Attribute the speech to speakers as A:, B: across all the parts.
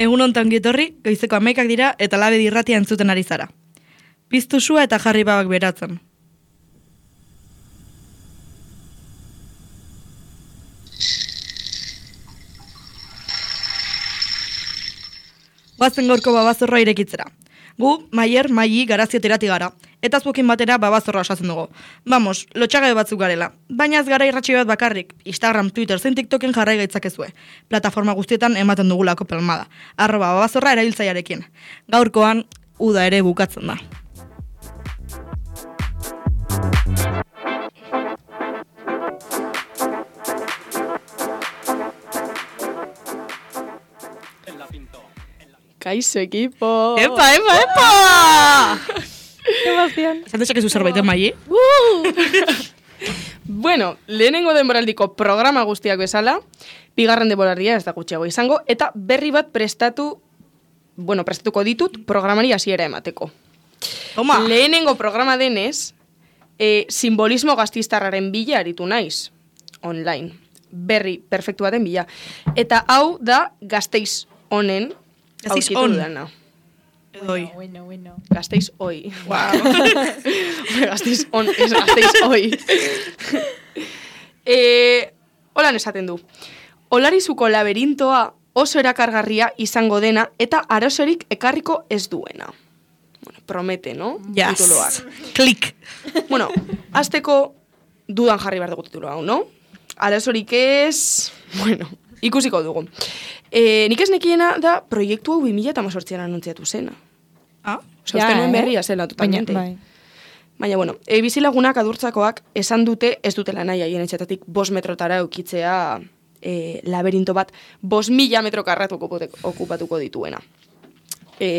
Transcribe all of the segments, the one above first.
A: Egun hontan gietorri, goizeko 11 dira eta Labedi irratia entzuten ari zara. Piztu sua eta jarri babak beratzen. Guazen gaurko babazorra irekitzera. Gu, Maier, Maili, Garazio terati gara. Eta zuekin batera babazorra osatzen dugu. Vamos, lotxagabe batzuk garela. Baina ez gara irratxi bat bakarrik. Instagram, Twitter, zein TikToken jarrai gaitzakezue. Plataforma guztietan ematen dugulako pelmada. @babazorra erabiltzailearekin. Gaurkoan, uda ere bukatzen da.
B: Kaixo, equipo!
A: ¡Epa, epa, epa!
B: Emoción.
A: Esan dezakezu zerbait, Maili?
B: Bueno, lehenengo denboraldiko programa guztiak bezala, bigarren denboraldia ez da gutxiago izango, eta berri bat prestatuko ditut programari hasiera emateko.
A: Toma!
B: Lehenengo programa denez, simbolismo gaztistarraren bila aritu naiz, online. Berri perfektu baten bila. Eta hau da Gasteiz honen
A: Gasteiz
B: aurkitu
A: on.
B: dudana.
A: Oi.
C: Bueno.
B: Gasteiz oi. Wow. Gasteiz on, ez Gasteiz oi. Holan esaten du. Olarizuko laberintoa oso erakargarria izango dena eta arazorik ekarriko ez duena. Bueno, promete, no?
A: Yes.
B: Tituloak.
A: Klik.
B: Bueno, azteko dudan jarri behar dugu titulo hau, no? Arazorik ez... Bueno, ikusiko dugu. Nik ez nekiena da proiektu hau 2018an anuntziatu zena.
A: Ah?
B: Osa, uste nuen berria zela, totalmente. Baina, bueno, bizilagunak adurtzakoak esan dute ez dutela nahi haien etxetatik 5 metrotara eukitzea laberinto bat 5.000 metro karratu okupatuko dituena.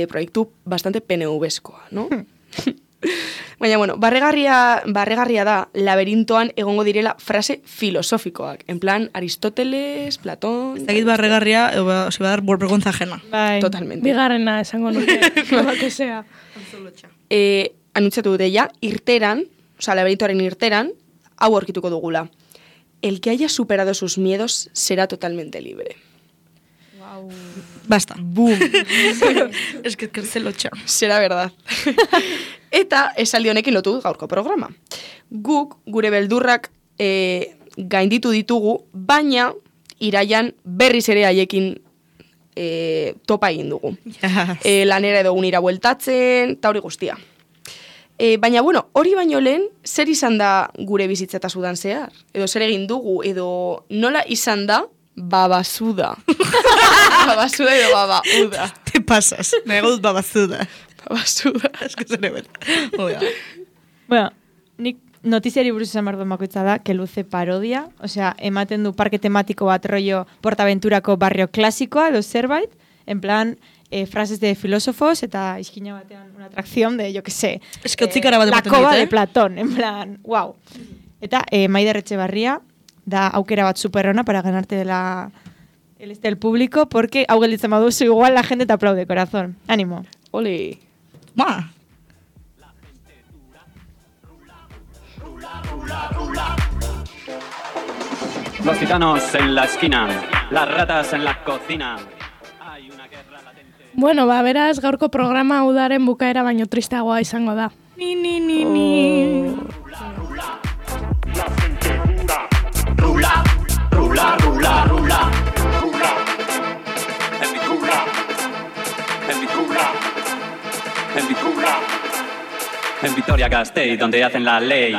B: Proiektu bastante PNV-eskoa, no? Baina, bueno, barregarria da laberintoan egongo direla frase filosofikoak. En plan, Aristoteles, Platón...
A: Ez dakit barregarria, osi badar vergüenza ajena.
C: Bai,
B: Totalmente.
C: Bigarrena esango nuke, lo que sea.
B: Anuntziatu dute ja, irteran, oza, laberintoaren irteran, hau aurkituko dugula. El que haya superado sus miedos será totalmente libre.
C: Wow.
A: Basta.
B: Boom.
A: Es que se lotxa.
B: Será verdad. Eta esaldi honekin lotu gaurko programa. Guk gure beldurrak gainditu ditugu, baina iraian berriz ere haiekin topa egin dugu.
A: Yes.
B: Lanera edo unira bueltatzen, eta hori guztia. Baina, bueno, hori baino lehen, zer izan da gure bizitzeta sudan zehar? Edo zer egin dugu, edo nola izan da babazuda. Babazuda edo babauda.
A: Te pasas. Me dut babazuda.
B: Babazuda.
A: Es que zer ebet.
C: Bueno, nik notiziari buruz esan behar bakoitza da, que luze parodia, osea, ematen du parke tematiko bat rollo Portaventurako barrio klasikoa, edo zerbait, en plan... frases de filósofos eta izkina batean una atracción de, yo que sé,
A: Es que otzikara bat
C: la
A: ematen
C: cova
A: dit,
C: de Platón, en plan, wow. Eta Maider Etxebarria da aukera bat superona para ganarte el público, porque hau gelditzen baduzu igual la gente te aplaude, corazón. Ánimo.
B: Ole.
A: Ma.
D: Los gitanos en la esquina, las ratas en la cocina. Hay una guerra latente.
E: Bueno, beraz, gaurko programa udaren bukaera baino tristeagoa izango da.
A: Ni.
D: Rula, rula, rula, rula, rula. En mi cula, en mi cula, en mi cula. En Vitoria-Gasteiz, donde hacen la ley.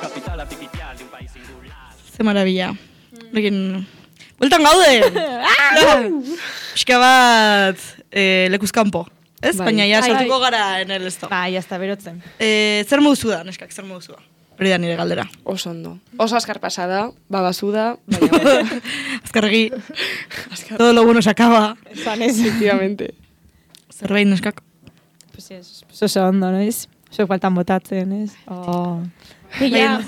D: Capital artificial de un país singular.
A: Ze maravilla. Egin... Bueltan gaude! Pixka bat lekuzkampo. Ez?
C: Bai.
A: Baina ja
C: Bai.
A: saltuko gara en el esto.
C: Ba, jazta, berotzen.
A: Zer moduzu da, neskak, zer moduzu da? Hori da nire galdera.
B: Oso ondo. Oso azkar pasada, babazuda, baina...
A: Azkarregi, todo lo bueno se acaba.
C: Esan ez.
B: Efectivamente.
A: Zerbait, neskak.
C: Pues ez, oso ondo, no ez? Oso faltan botatzen, ez? Oh.
E: Ja,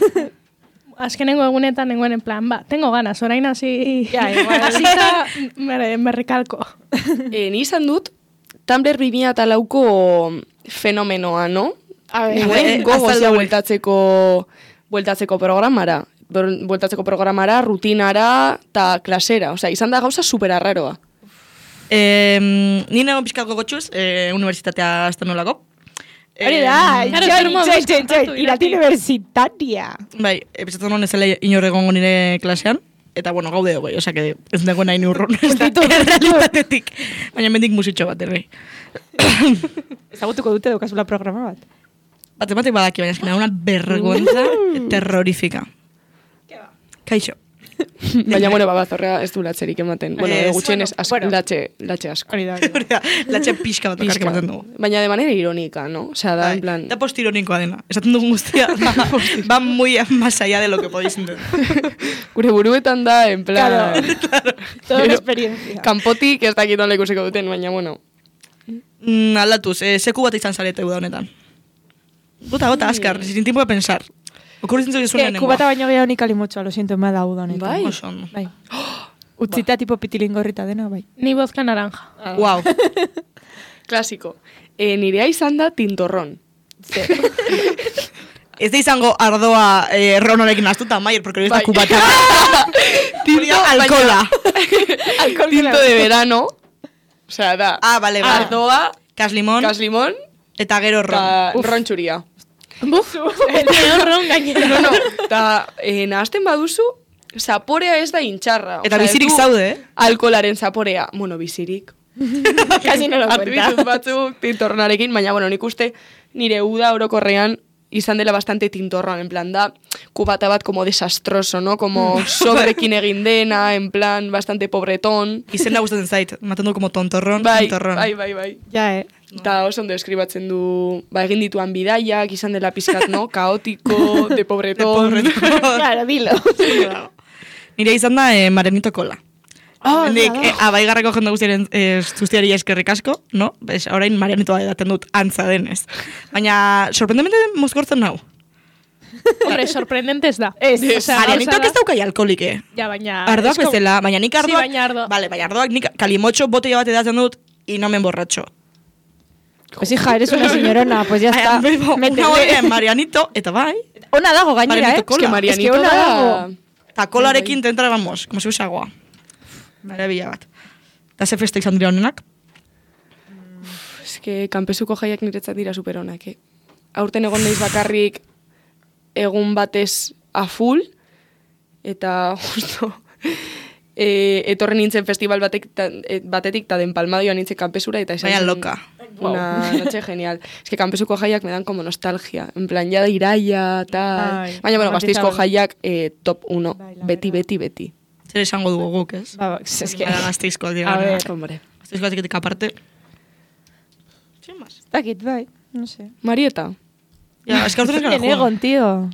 E: azkenengo egunetan nengoen en plan, tengo ganas, orain hasi...
C: Ja, igual.
E: Hasita me recalco.
B: Ni izan dut, Tumblr 2004ko fenomenoa, no?
C: A ver,
B: Nuen gogozia
A: azaldu.
B: bueltatzeko programara. Bueltatzeko programara, rutinara eta klasera. Osea, izan da gauza super arraroa.
A: Ni nago pixkat gogotxuz, universitatea azten nolako.
C: Hori da, irati universitaria.
A: Bai, epizatzen honen zela inorregongo nire klasean. Eta, bueno, gaude hogei, osea, que ez dago nahi urrun. Realitatetik. Baina mendik musitxo bat, errei.
C: Ezagutuko dute daukazula programa bat.
A: Batek badaki, baina eskena una vergüenza terrorífica. Kaixo.
B: Baina, bueno, babazorrea ez du latzerik ematen. Bueno, gutxen ez latxe asko.
A: Latxe pixka bat okarrik ematen dugu.
B: Baina de manera irónica, ¿no? O sea, da en plan...
A: Da postironikoa dena. Esaten dugun guztia, va muy más allá de lo que podéis entender.
B: Gure buruetan da, en plan...
C: Claro. Toda una experiencia.
B: Kanpotik ez dakit nola ikusiko duten, baina, bueno...
A: Aldatuz, seku bat izan zarete uda honetan. Gota, azkar, sin tiempo de pensar. Okurritzen zoi zuen nengoa.
C: Kubata baino gehiago nik alimotxoa, lo siento, me ha dado honetan.
B: Bai?
C: Bai. Utzita tipo pitilingorrita dena, bai.
E: Ni vodka naranja.
A: Wow.
B: Klasiko. Nirea izan da tintorron.
A: Ez da izango ardoa ronorekin astuta, Maier, porque hori ez da kubata.
B: Tinto,
A: alkohola.
B: Tinto de verano. O sea, da.
A: Vale.
B: Ardoa,
A: Kaslimon. Eta gero ron.
B: Ron txuria.
E: Buf, el peor ron gainera.
B: No, eta nahazten baduzu, zaporea ez da intxarra.
A: Eta bizirik zaude,
B: Alkolaren zaporea. Bueno, bizirik.
C: Casi no lo
B: Artu ditut batzuk tintorronarekin, baina, bueno, nik uste nire uda orokorrean izan dela bastante tintorroan, en plan da, kubata bat como desastroso, ¿no? Como sobrekin egin dena, en plan, bastante pobretón.
A: Izena gustatzen zait, maten du como tontorron,
B: Bai.
C: Ja,
B: Eta oso ondo eskribatzen du, egin dituan bidaiak, izan dela pizkat, no? Kaotiko, de pobretón.
C: Claro, dilo.
A: Nire izan da Marenito Kola. Abaigarreko jende guztiaren zuztiari eskerrik asko, no? Bez, orain Marianitoa edaten dut antza denez. Baina, sorprendemente mozkortzen nau.
E: Hombre, sorprendente ez da.
A: Marianitok ez daukai alkoholike.
E: Ja, baina...
A: Ardoak bezala, baina nik ardoak...
E: Sí, baina ardoa.
A: Vale, baina ardoak nik kalimotxo botella bat edaten dut, y no me emborracho.
C: Pues hija, eres una señorona, pues ya está.
A: Una hori Marianito, eta bai.
C: Ona dago gainera,
A: Marenito Kola.
B: Es que Marianito
C: ona
B: da...
C: dago.
A: Eta kolarekin tentra, vamos, como si fuese agua. Maravilla bat. Eta ze festa izan dira honenak?
B: Es que kanpesuko jaiak niretzat dira superonak, Aurten egon naiz bakarrik egun batez a full, eta justo etorren nintzen festival batetik ta den Palmadioan nintzen kanpesura, eta izan
A: Vaya loca.
B: Una noche genial. Es que kanpesuko jaiak me dan como nostalgia. En plan, ya de iraia, tal. Baina, bueno, Gasteizko jaiak top 1. Beti.
A: Zer esango dugu guk, ez?
C: Es que...
A: Gasteizkoak dira.
C: A ver,
B: hombre.
A: Gasteizkoak diketik aparte. Sin más.
C: Dakit, bai, no sé.
B: Marieta.
A: Ja, es que aurten ez gara
C: Egon, tío.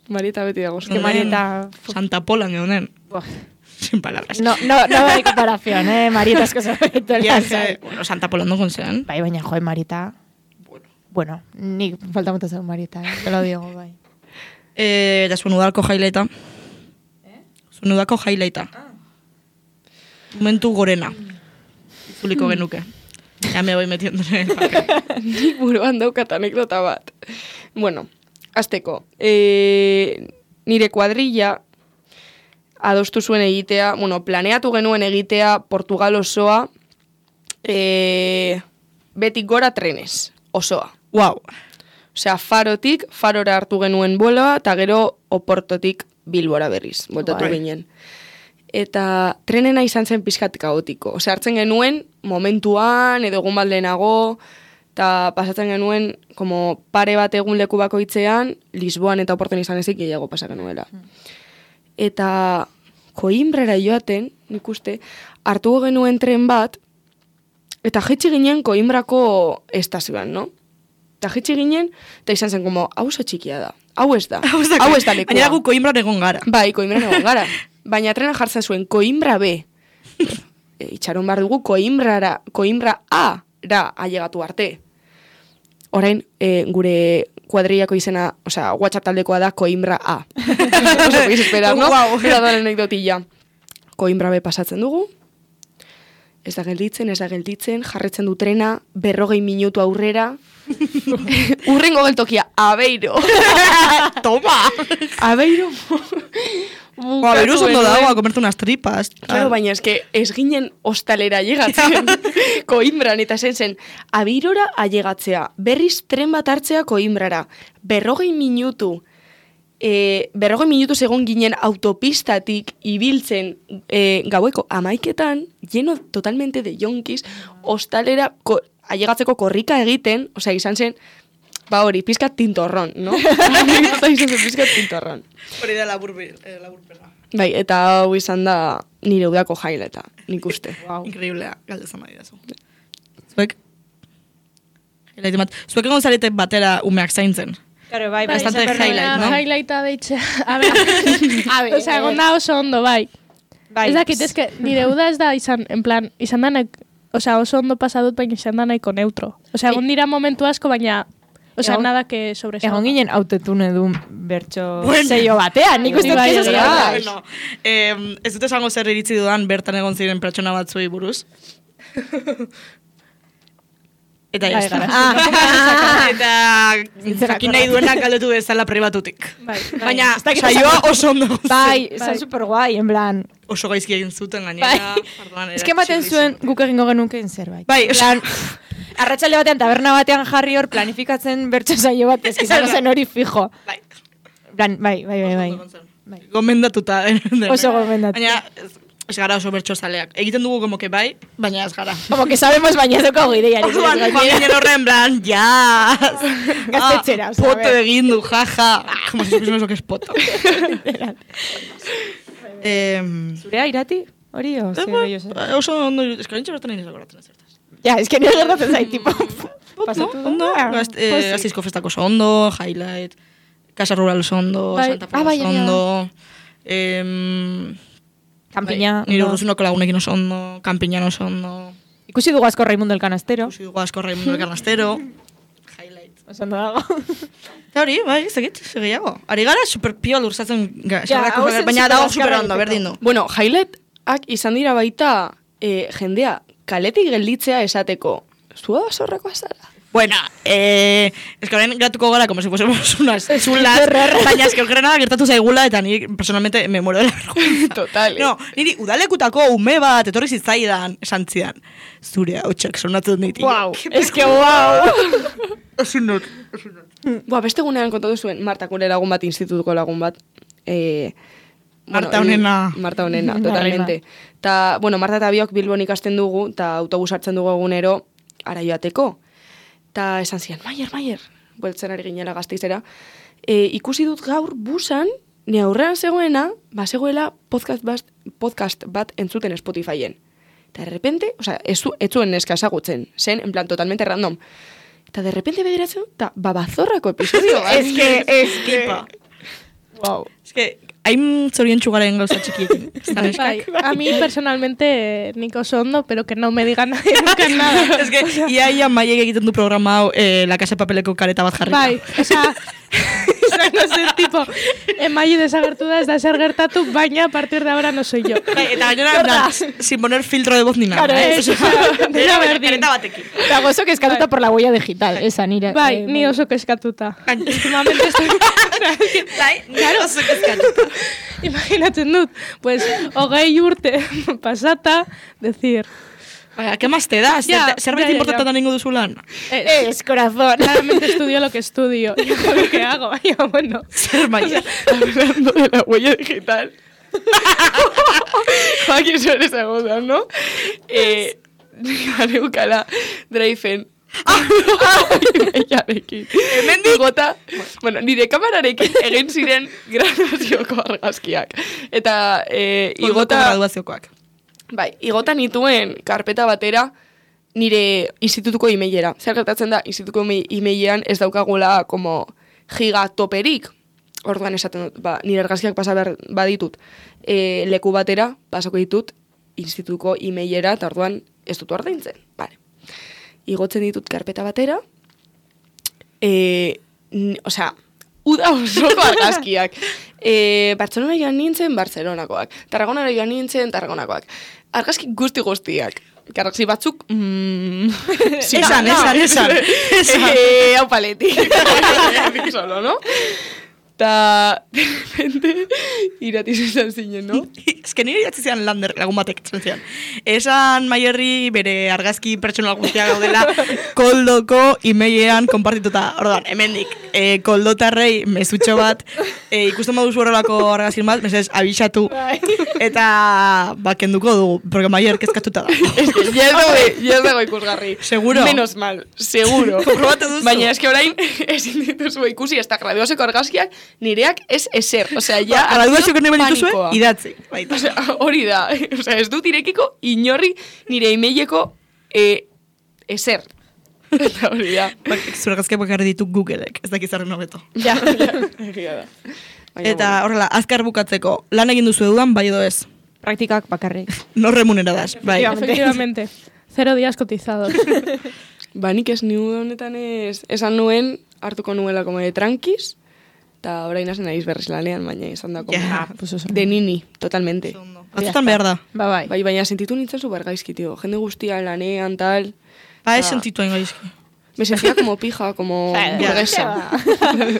B: Marieta beti dago.
C: Que Marieta...
A: Santa Pola, geonen. Sin palabras.
C: No hay comparación, Marieta es cosa bonito.
A: Bueno, Santa Pola no zen.
C: Bai, baina, joe, Marieta... Bueno, ni falta mucho ser Marieta, te lo digo, bai.
A: Eta zuen udalko jaileita. Zuen udalko jaileita. Momentu gorena. Zuliko genuke. Ya me voy metiendo en el papel.
B: Nik buruan daukat anekdota bat. Bueno, azteko. Nire kuadrilla adostu zuen egitea, bueno, planeatu genuen egitea Portugal osoa, betik gora trenez, osoa.
A: Wow.
B: Osea, Farora hartu genuen vueloa, eta gero Oportotik Bilbora berriz, bueltatu ginen. Eta trenena izan zen pixkat kaotiko. Osea, hartzen genuen momentuan, edo egun bat lehenago, eta pasatzen genuen, como pare bat egun leku bakoitzean, Lisboan eta Oporton izan ezik gehiago pasa genuela. Eta Koimbrara joaten, nik uste, hartu genuen tren bat, eta jetxi ginen Koimbrako estazioan, no? Eta jetxi ginen, eta izan zen, como, hau txikia da. Hau ez da lekua.
A: Baina gu Koimbran egon gara.
B: Bai, Koimbran egon gara. Baina trena jartzen zuen Koimbra B. Itxaron behar dugu Koimbra A-ra ailegatu arte. Orain, gure kuadrillako izena, osea, WhatsApp taldekoa da Koimbra A. No se podéis esperar, ¿no? Era da anekdotilla. Koimbra B pasatzen dugu. ez da gelditzen, jarretzen du trena, 40 minutu aurrera, urrengo geltokia, Aveiro.
A: Toma!
B: Aveiro.
A: Aveiro ondo dago, a comerte unas tripas.
B: Claro, baina ez ginen hostalera llegatzen, Coimbran, eta zen, Aveirora allegatzea, berriz tren bat hartzea Coimbrara, 40 minutu, 40 minutu segon ginen autopistatik ibiltzen gaueko 11etan, lleno totalmente de yonkis, hostalera allegatzeko korrika egiten, osea, izan zen, hori, pizkat tintorron, no? Pizkat tintorron.
A: Hori da laburpena.
B: Bai, eta hau izan da nire udako jaileta, nik uste.
A: Wow. Increíblea, galdezan nahi dazu. Zuek? Zuek egon zarete batera umeak zaintzen.
C: Claro, bai,
A: bastante highlight, ¿no?
E: Highlighta deitzea. A ver, osea, egon da oso ondo, bai. Ez dakit, eske, nire uda ez da izan, en plan, izan da osea, oso ondo pasadut, baina izan da nahiko neutro. Osea, egon dira momentu asko, baina, osea, nada que sobresalga.
C: Egon ginen autotune dun bertxo seio batean, nik uste
E: bai,
C: ez
A: Bueno, ez dut esango zer iritzi dudan bertan egon ziren pertsona batzuei buruz. Eta ya está. Eta jakin nahi duenak galdetu bezala pribatutik. Baina, saioa oso ondo.
C: Bai, zan super guai, en plan.
A: Oso gaizki egin zuten gainera.
C: Ez que ematen zuen guk egingo genukeen zerbait.
A: Bai,
C: arratsalde batean, taberna batean jarri hor planifikatzen bertso saio bat, ez izango zen hori fijo. Bai.
A: Gomendatuta.
C: Oso gomendatuta.
A: Baina, ez gara oso bertso zaleak. Egiten dugu como que bai, baina ez gara.
C: Como que sabemos, baina ez dukago ideiarik.
A: Orduan, joan horren plan, jazz.
C: Gaztetxera,
A: poto egin du, jaja. Como si supimos lo que es poto.
C: Zurea irati? Hori o?
A: Oso ondo, ez que bertan nahi nezakoratzen ez zertaz.
C: Ja, ez que nire gertatzen zait, tipo.
A: Ondo, Gazteizko festako oso ondo, Highlight, Casa Rural oso ondo, Santa Fe oso ondo,
C: Kampiña.
A: Nire urruzunoko lagunekin oso ondo, Kampiñan oso ondo.
C: Ikusi dugu asko Raimundo el Canastero.
A: Highlight.
C: Oso ondo dago.
A: Eta hori, bai, segiago. Ari gara super piol urzatzen baina dago super ondo, berdin du.
B: Bueno, Highlightak izan dira baita jendea kaletik gelditzea esateko. Zua basorrako azara.
A: Bueno, es que horren gratuko gara, como si fuésemos unas chulas, baina es que okerrena gertatu zaigula, eta ni personalmente me muero de la vergüenza.
B: Total.
A: No, niri udalekutako ume bat, etorri zitzaidan, esan zidan. Zure hautsak sonatzen ditik.
B: Wow,
C: es que wow.
A: Osun not.
B: Beste gunean kontatu zuen, Marta gure lagun bat, institutuko lagun bat.
A: Marta honena.
B: Marta honena, totalmente. Ta, bueno, Marta eta biok Bilbon ikasten dugu, eta autobus hartzen dugu egunero, ara joateko. Ta esan zian, Maier, bueltzen ari ginela Gasteizera, ikusi dut gaur busan, ni aurrean zegoena, zegoela podcast bat entzuten Spotifyen. Eta de repente, osea, ez zuen neska ezagutzen, zen, en plan, totalmente random. Eta de repente begiratzen, eta babazorrako episodio.
C: Es que...
B: Wow.
A: Es que, hain zorien txugaren gauza txikiekin.
E: Bai, a mí personalmente nik oso ondo, pero que no me digan nadie nunca nada.
A: Es que, ia maiek egiten du programa hau, La Casa de Papeleko kareta bat jarrita.
E: Bai, osea, no sé, tipo, Maia desagertu da, ez da zer gertatu, baina a partir de ahora no soy yo.
A: Eta gainera, sin poner filtro de voz ni nada.
E: Dira berdin.
A: Kareta batekin.
C: Eta gozo kezkatuta por la huella digital, esa nire.
E: Bai, ni oso kezkatuta. Últimamente estoy...
A: Claro, oso kezkatuta.
E: Imaginatzen dut, pues, 20 urte pasata, decir...
A: Vaya, ¿qué más te das? ¿Zerbait importante da ningu duzulan?
C: Es corazón.
E: Claramente estudio lo que estudio. Y hago lo que hago. Ya, bueno.
A: Ser Maier.
B: Hablando de la huella digital. Joaquín suele segunda, ¿no? Ganeukala Dreifen. Igota, bueno, nire kamararekin egin ziren graduazioko argazkiak. Eta igota...
A: graduaziokoak.
B: Bai, igota nituen karpeta batera nire institutuko emailera. Zer gertatzen da, institutuko emailean ez daukagula como gigatoperik. Orduan esaten dut, nire argazkiak pasa behar baditut leku batera, pasako ditut institutuko emailera, eta orduan ez dut ordaintzen. Vale. Igotzen ditut karpeta batera, osea, uda osoko argazkiak. Bartzelona joan nintzen, Bartzelonakoak. Tarragonara joan nintzen, Tarragonakoak. Argazki guztiak. galaxi batzuk...
A: Esan.
B: Hau paletik. Solo, no? Ta, de repente, iratiz izan zinen, no?
A: Ez que nire iratzi zian lagun batek, esan Maierri bere argazki pertsonal guztiak gaudela koldoko imeilean konpartituta. Ordan, hemendik, koldotarrei mezutxo bat, ikusten baduzu horrelako argazkin bat, mesez, abixatu. Eta, kenduko dugu, porque Maier kezkatuta da.
B: Ez que, ya dago ikusgarri.
A: Seguro.
B: Menos mal, seguro.
A: Probatu duzu.
B: Baina eske orain, ezin dituzu ikusi, ez da graduazeko argazkiak, nireak ez eser. Osea, ja...
A: Graduazioak nahi dituzue, idatzi.
B: Osea, hori da. Osea, ez dut irekiko inorri nire emaileko eser. Eta hori da.
A: Zure argazkiak bakarri ditu Googleek, ez dakizarren hobeto.
B: Ja, egia da.
A: Eta horrela, azkar bukatzeko, lan egin duzu eduan, bai edo ez?
C: Praktikak bakarrik.
A: No remuneradas, bai.
E: Efectivamente. 0 días cotizados.
B: Ba, nik ez niu honetan esan nuen, hartuko nuela como de tranquis, eta orain hasen naiz berriz lanean, baina izan da como de nini, totalmente.
A: Batzutan behar da.
C: Bai.
B: Bai, baina sentitu nintzen super gaizki, tío. Jende guztia lanean, tal...
A: Ba, ez sentituen gaizki.
B: Me sentía como pija, como burguesa.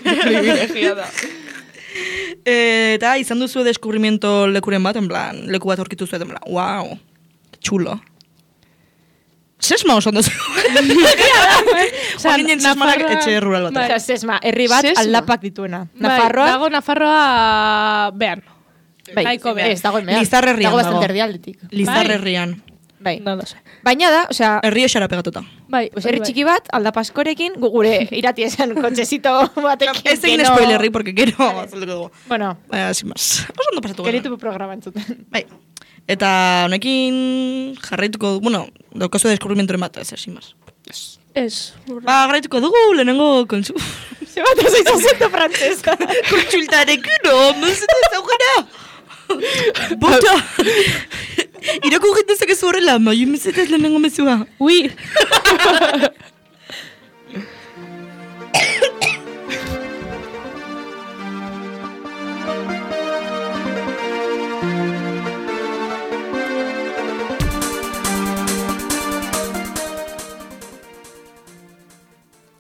B: Privilegiada.
A: Eta izan duzu deskubrimiento lekuren bat, en plan, leku bat aurkitu zuet, en plan, wow, chulo. Sesma oso ondo zu. Horinen sesmanak etxe rural bat.
C: Osa, Sesma, herri bat aldapak dituena.
E: Nafarroa? Dago Nafarroa behan.
C: Naiko behan. Ez, dago emean.
A: Lizarrerrian
C: dago. Dago bastanterdialdetik.
A: Lizarrerrian.
C: Bai.
E: No lo sé.
C: Baina da, osea...
A: Herri esara pegatuta.
E: Bai.
C: Herri txiki bat, aldapaskorekin, gure irati esan kotxezito batekin.
A: Ez egin spoilerri, porque gero azalduko dugu.
C: Bueno.
A: Baina, sin más. Oso ondo pasatu gara.
C: Geritu programa entzuten.
A: Bai. Eta honekin jarraituko, bueno, daukazu deskubrimentoren bat, ez, sin más.
E: Ez.
A: Ba, jarraituko dugu, lehenengo kontsu...
C: Zebatu zoiz azento frantzesa.
A: Kontsultarekin, no, mesedez aukera. Bota! Irako gitezak ez horrela, maio mesedez lehenengo mezua.
E: Ui!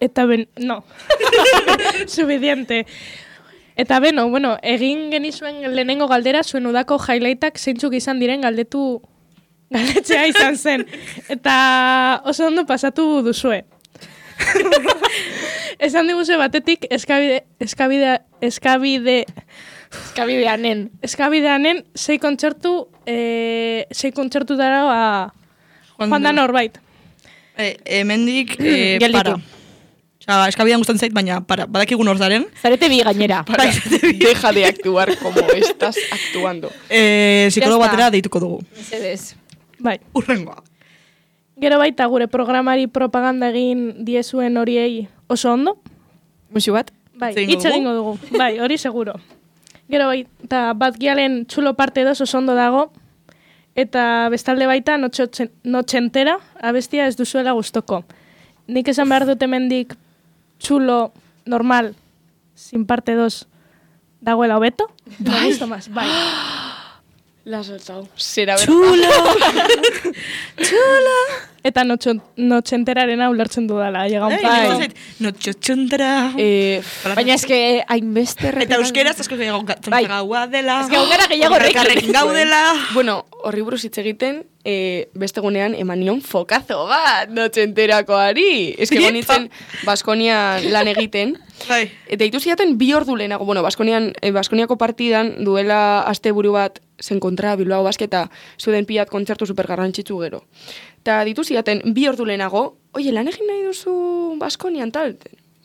E: Eta no. Suficiente. Eta bueno, egin genizuen lehenengo galdera, zuen udako highlightak zeintzuk izan diren galdetzea izan zen. Eta oso ondo pasatu duzue. Esan diguzue batetik eskabideanen 6 kontzertu dara Juan da Norbait.
A: Hemendik, para. Osa, eskabidean gustan zait, baina badakigun hor zaren.
C: Zarete bi gainera.
B: Deja de actuar como estás actuando.
A: Psikologo batera deituko dugu.
C: Mesedez.
E: Bai.
A: Urrengoa.
E: Gero baita gure programari propaganda egin diezuen horiei oso ondo.
C: Musu bat?
E: Bai, hitz egingo dugu. Bai, hori seguro. Gero baita Batgialen txulo parte 2 oso ondo dago. Eta bestalde baita notxentera abestia ez duzuela gustoko. Nik esan behar dut hemendik txulo, normal, sin parte 2, dagoela hobeto? Bai. Bai.
B: La has soltado. Será verdad.
A: Txulo!
E: Eta notxenterarena ulertzen dudala.
A: Bai. Notxentera.
C: Baina eske hainbeste
A: Eta euskeraz asko gehiago gaua dela.
C: Eske gaugara gehiago
A: rekin gaudela.
B: Bueno, horri buruz hitz egiten, beste gunean emanion fokazo bat notxenterakoari. Eske gonitzen Baskonian lan egiten. Eta ditu ziaten 2 ordu lehenago. Bueno, Baskoniako partidan duela asteburu bat zen kontra Bilbao Basketa zuden pilat kontzertu supergarrantzitsu gero. Eta ditu ziaten 2 ordu lehenago, oie, lan egin nahi duzu Baskonian, tal?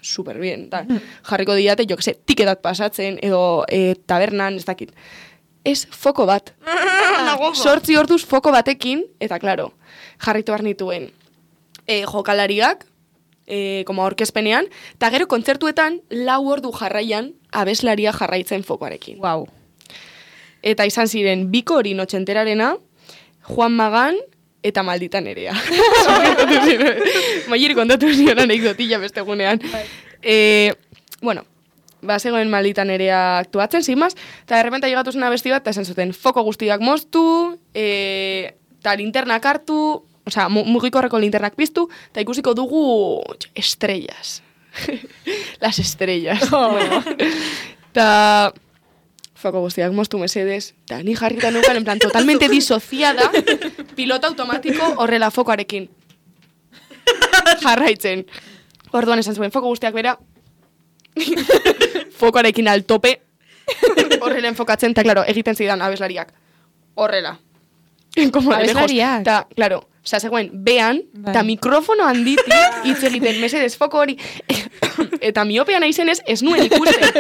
B: Super bien, tal. Jarriko diate, jo que se, tiketat pasatzen, edo tabernan, ez dakit. Ez foko bat. 8 orduz foko batekin, eta klaro, jarritu behar nituen jokalariak, como aurkezpenean, eta gero kontzertuetan 4 ordu jarraian abeslaria jarraitzen fokoarekin.
C: Wow.
B: Eta izan ziren 2 hori notxenterarena, Juan Magan eta Maldita Nerea. Maier kontatu zion anekdotilla beste gunean. Bueno, zegoen Maldita Nerea aktuatzen, sin más, eta de repente llegatuz una besti bat, eta esan zuten foko guztiak moztu, eta linternak hartu, osea, mugikorreko linternak piztu, eta ikusiko dugu estrellas. Las estrellas. Ta foko guztiak moztu mesedes, eta ni jarrita neukan, en plan, totalmente disociada, piloto automatiko horrela fokoarekin. Jarraitzen. Orduan esan zuen, foko guztiak bera, fokoarekin altope, horrela enfokatzen, eta, klaro, egiten zidan abeslariak. Horrela.
C: Abeslariak?
B: Eta, klaro, zegoen, behan, eta mikrofono handitik hitz egiten, mesedez, foko hori, eta miopean aizenez, ez nuen ikusten,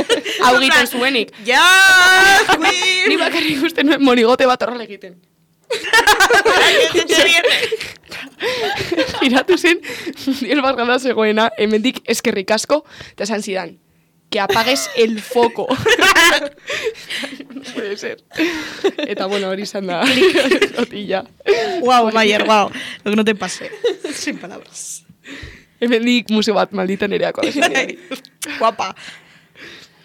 B: hau egiten zuenik.
A: Ja, queen!
B: Ni bakarrik ikusten nuen monigote bat horrela egiten. Giratu zen, el bat gana zegoena, hemendik eskerrik asko, eta esan zidan, que apagues el foco. No puede ser. Eta bueno, hori izan da. Notilla.
A: Guau, Maier, guau. Lo que no te pase. Sin palabras.
B: Hemendik museo bat maldita nereako.
A: Guapa.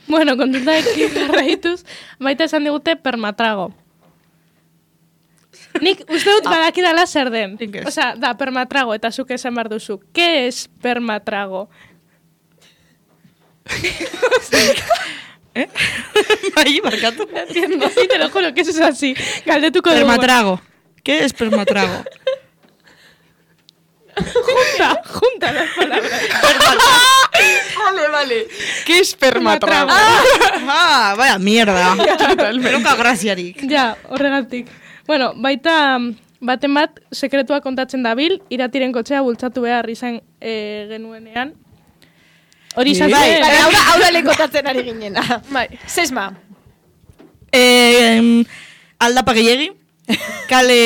E: Bueno, kontutak jarraituz, baita esan digute permatrago. Nik uste dut badakidala zer den. Osea, da, permatrago, eta zuk esan behar duzu. ¿Qué es permatrago?
A: Bai, markatu.
E: Entiendo, sí, te lo juro que eso es así. Galdetuko dugu.
A: Permatrago. ¿Qué es permatrago?
E: Junta las palabras.
B: Vale. ¿Qué es permatrago?
A: Ah, vaya mierda. Nunca graziarik.
E: Ja, horregatik. Bueno, baita baten bat sekretua kontatzen dabil, iratiren kotxea bultzatu behar izan genuenean. Hori izan zen.
C: Bai, hau da lekotatzen ari ginena.
E: Bai.
C: Sesma.
A: Aldapa gehiegi. Kale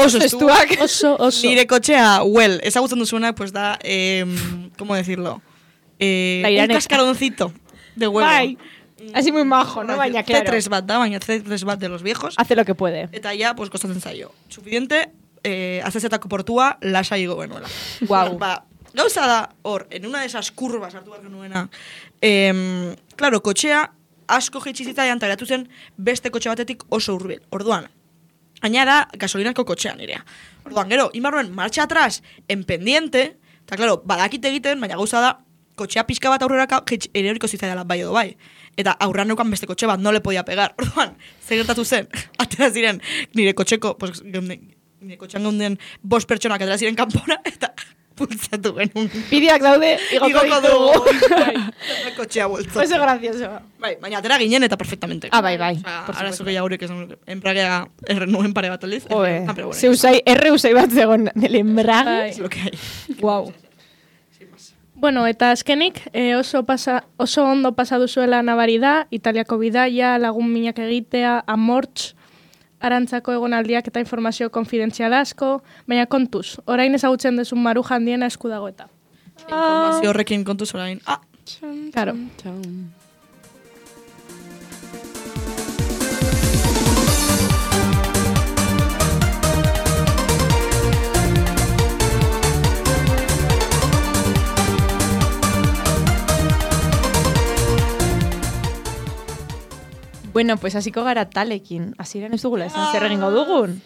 A: oso estuak.
E: Oso.
A: Nire kotxea, ezagutzen duzuena, pues da, ¿cómo decirlo? Un cascaroncito de huevo.
C: Bai. Así muy majo, ¿no? Baina, claro.
A: C3 bat da, baina C3 bat de los viejos.
C: Hace lo que puede.
A: Eta ya, pues, kostatzen zaio. Suficiente, azezetako portua, lasai igo genuela.
C: Guau.
A: Ba, gauza da, hor, en una de esas curvas hartu behar genuena, claro, kotxea asko jeitxizitzaian, eta geratu zen beste kotxe batetik oso hurbil. Orduan, aina da gasolinako kotxean nirea. Orduan, gero, inbarruen marcha atrás, en pendiente, eta claro, badakite egiten, baina gauza da, kotxea pixka bat aurreraka eroriko zitzaidala bai edo bai. Eta aurran neukan beste kotxe bat, no le podia pegar. Orduan, zer gertatu zen, atera ziren nire kotxeko, pues, nire kotxean geunden 5 pertsonak atera ziren kanpora, eta pulsatu genuen.
C: Bideak daude, igoko dugu.
A: Kotxea bultzo.
C: Oso gracioso.
A: Bai, baina atera ginen eta perfectamente.
C: Ah, bai.
A: Arazo gehiagurek esan, enbragea nuen pare bat aldiz.
C: Zeusai, erreusai bat zegoen del embrague.
A: Es lo que hay.
C: Guau.
E: Bueno, eta azkenik, oso ondo pasatu zuela nabari da, Italiako bidaia, lagun minak egitea, amortz, arantzako egonaldiak eta informazio konfidentziala asko, baina kontuz, orain ezagutzen duzun maruja handiena esku dago eta.
A: Informazio horrekin kontuz orain.
E: Claro.
C: Bueno, pues hasiko gara talekin. Hasieran ez dugula esan zer egingo dugun.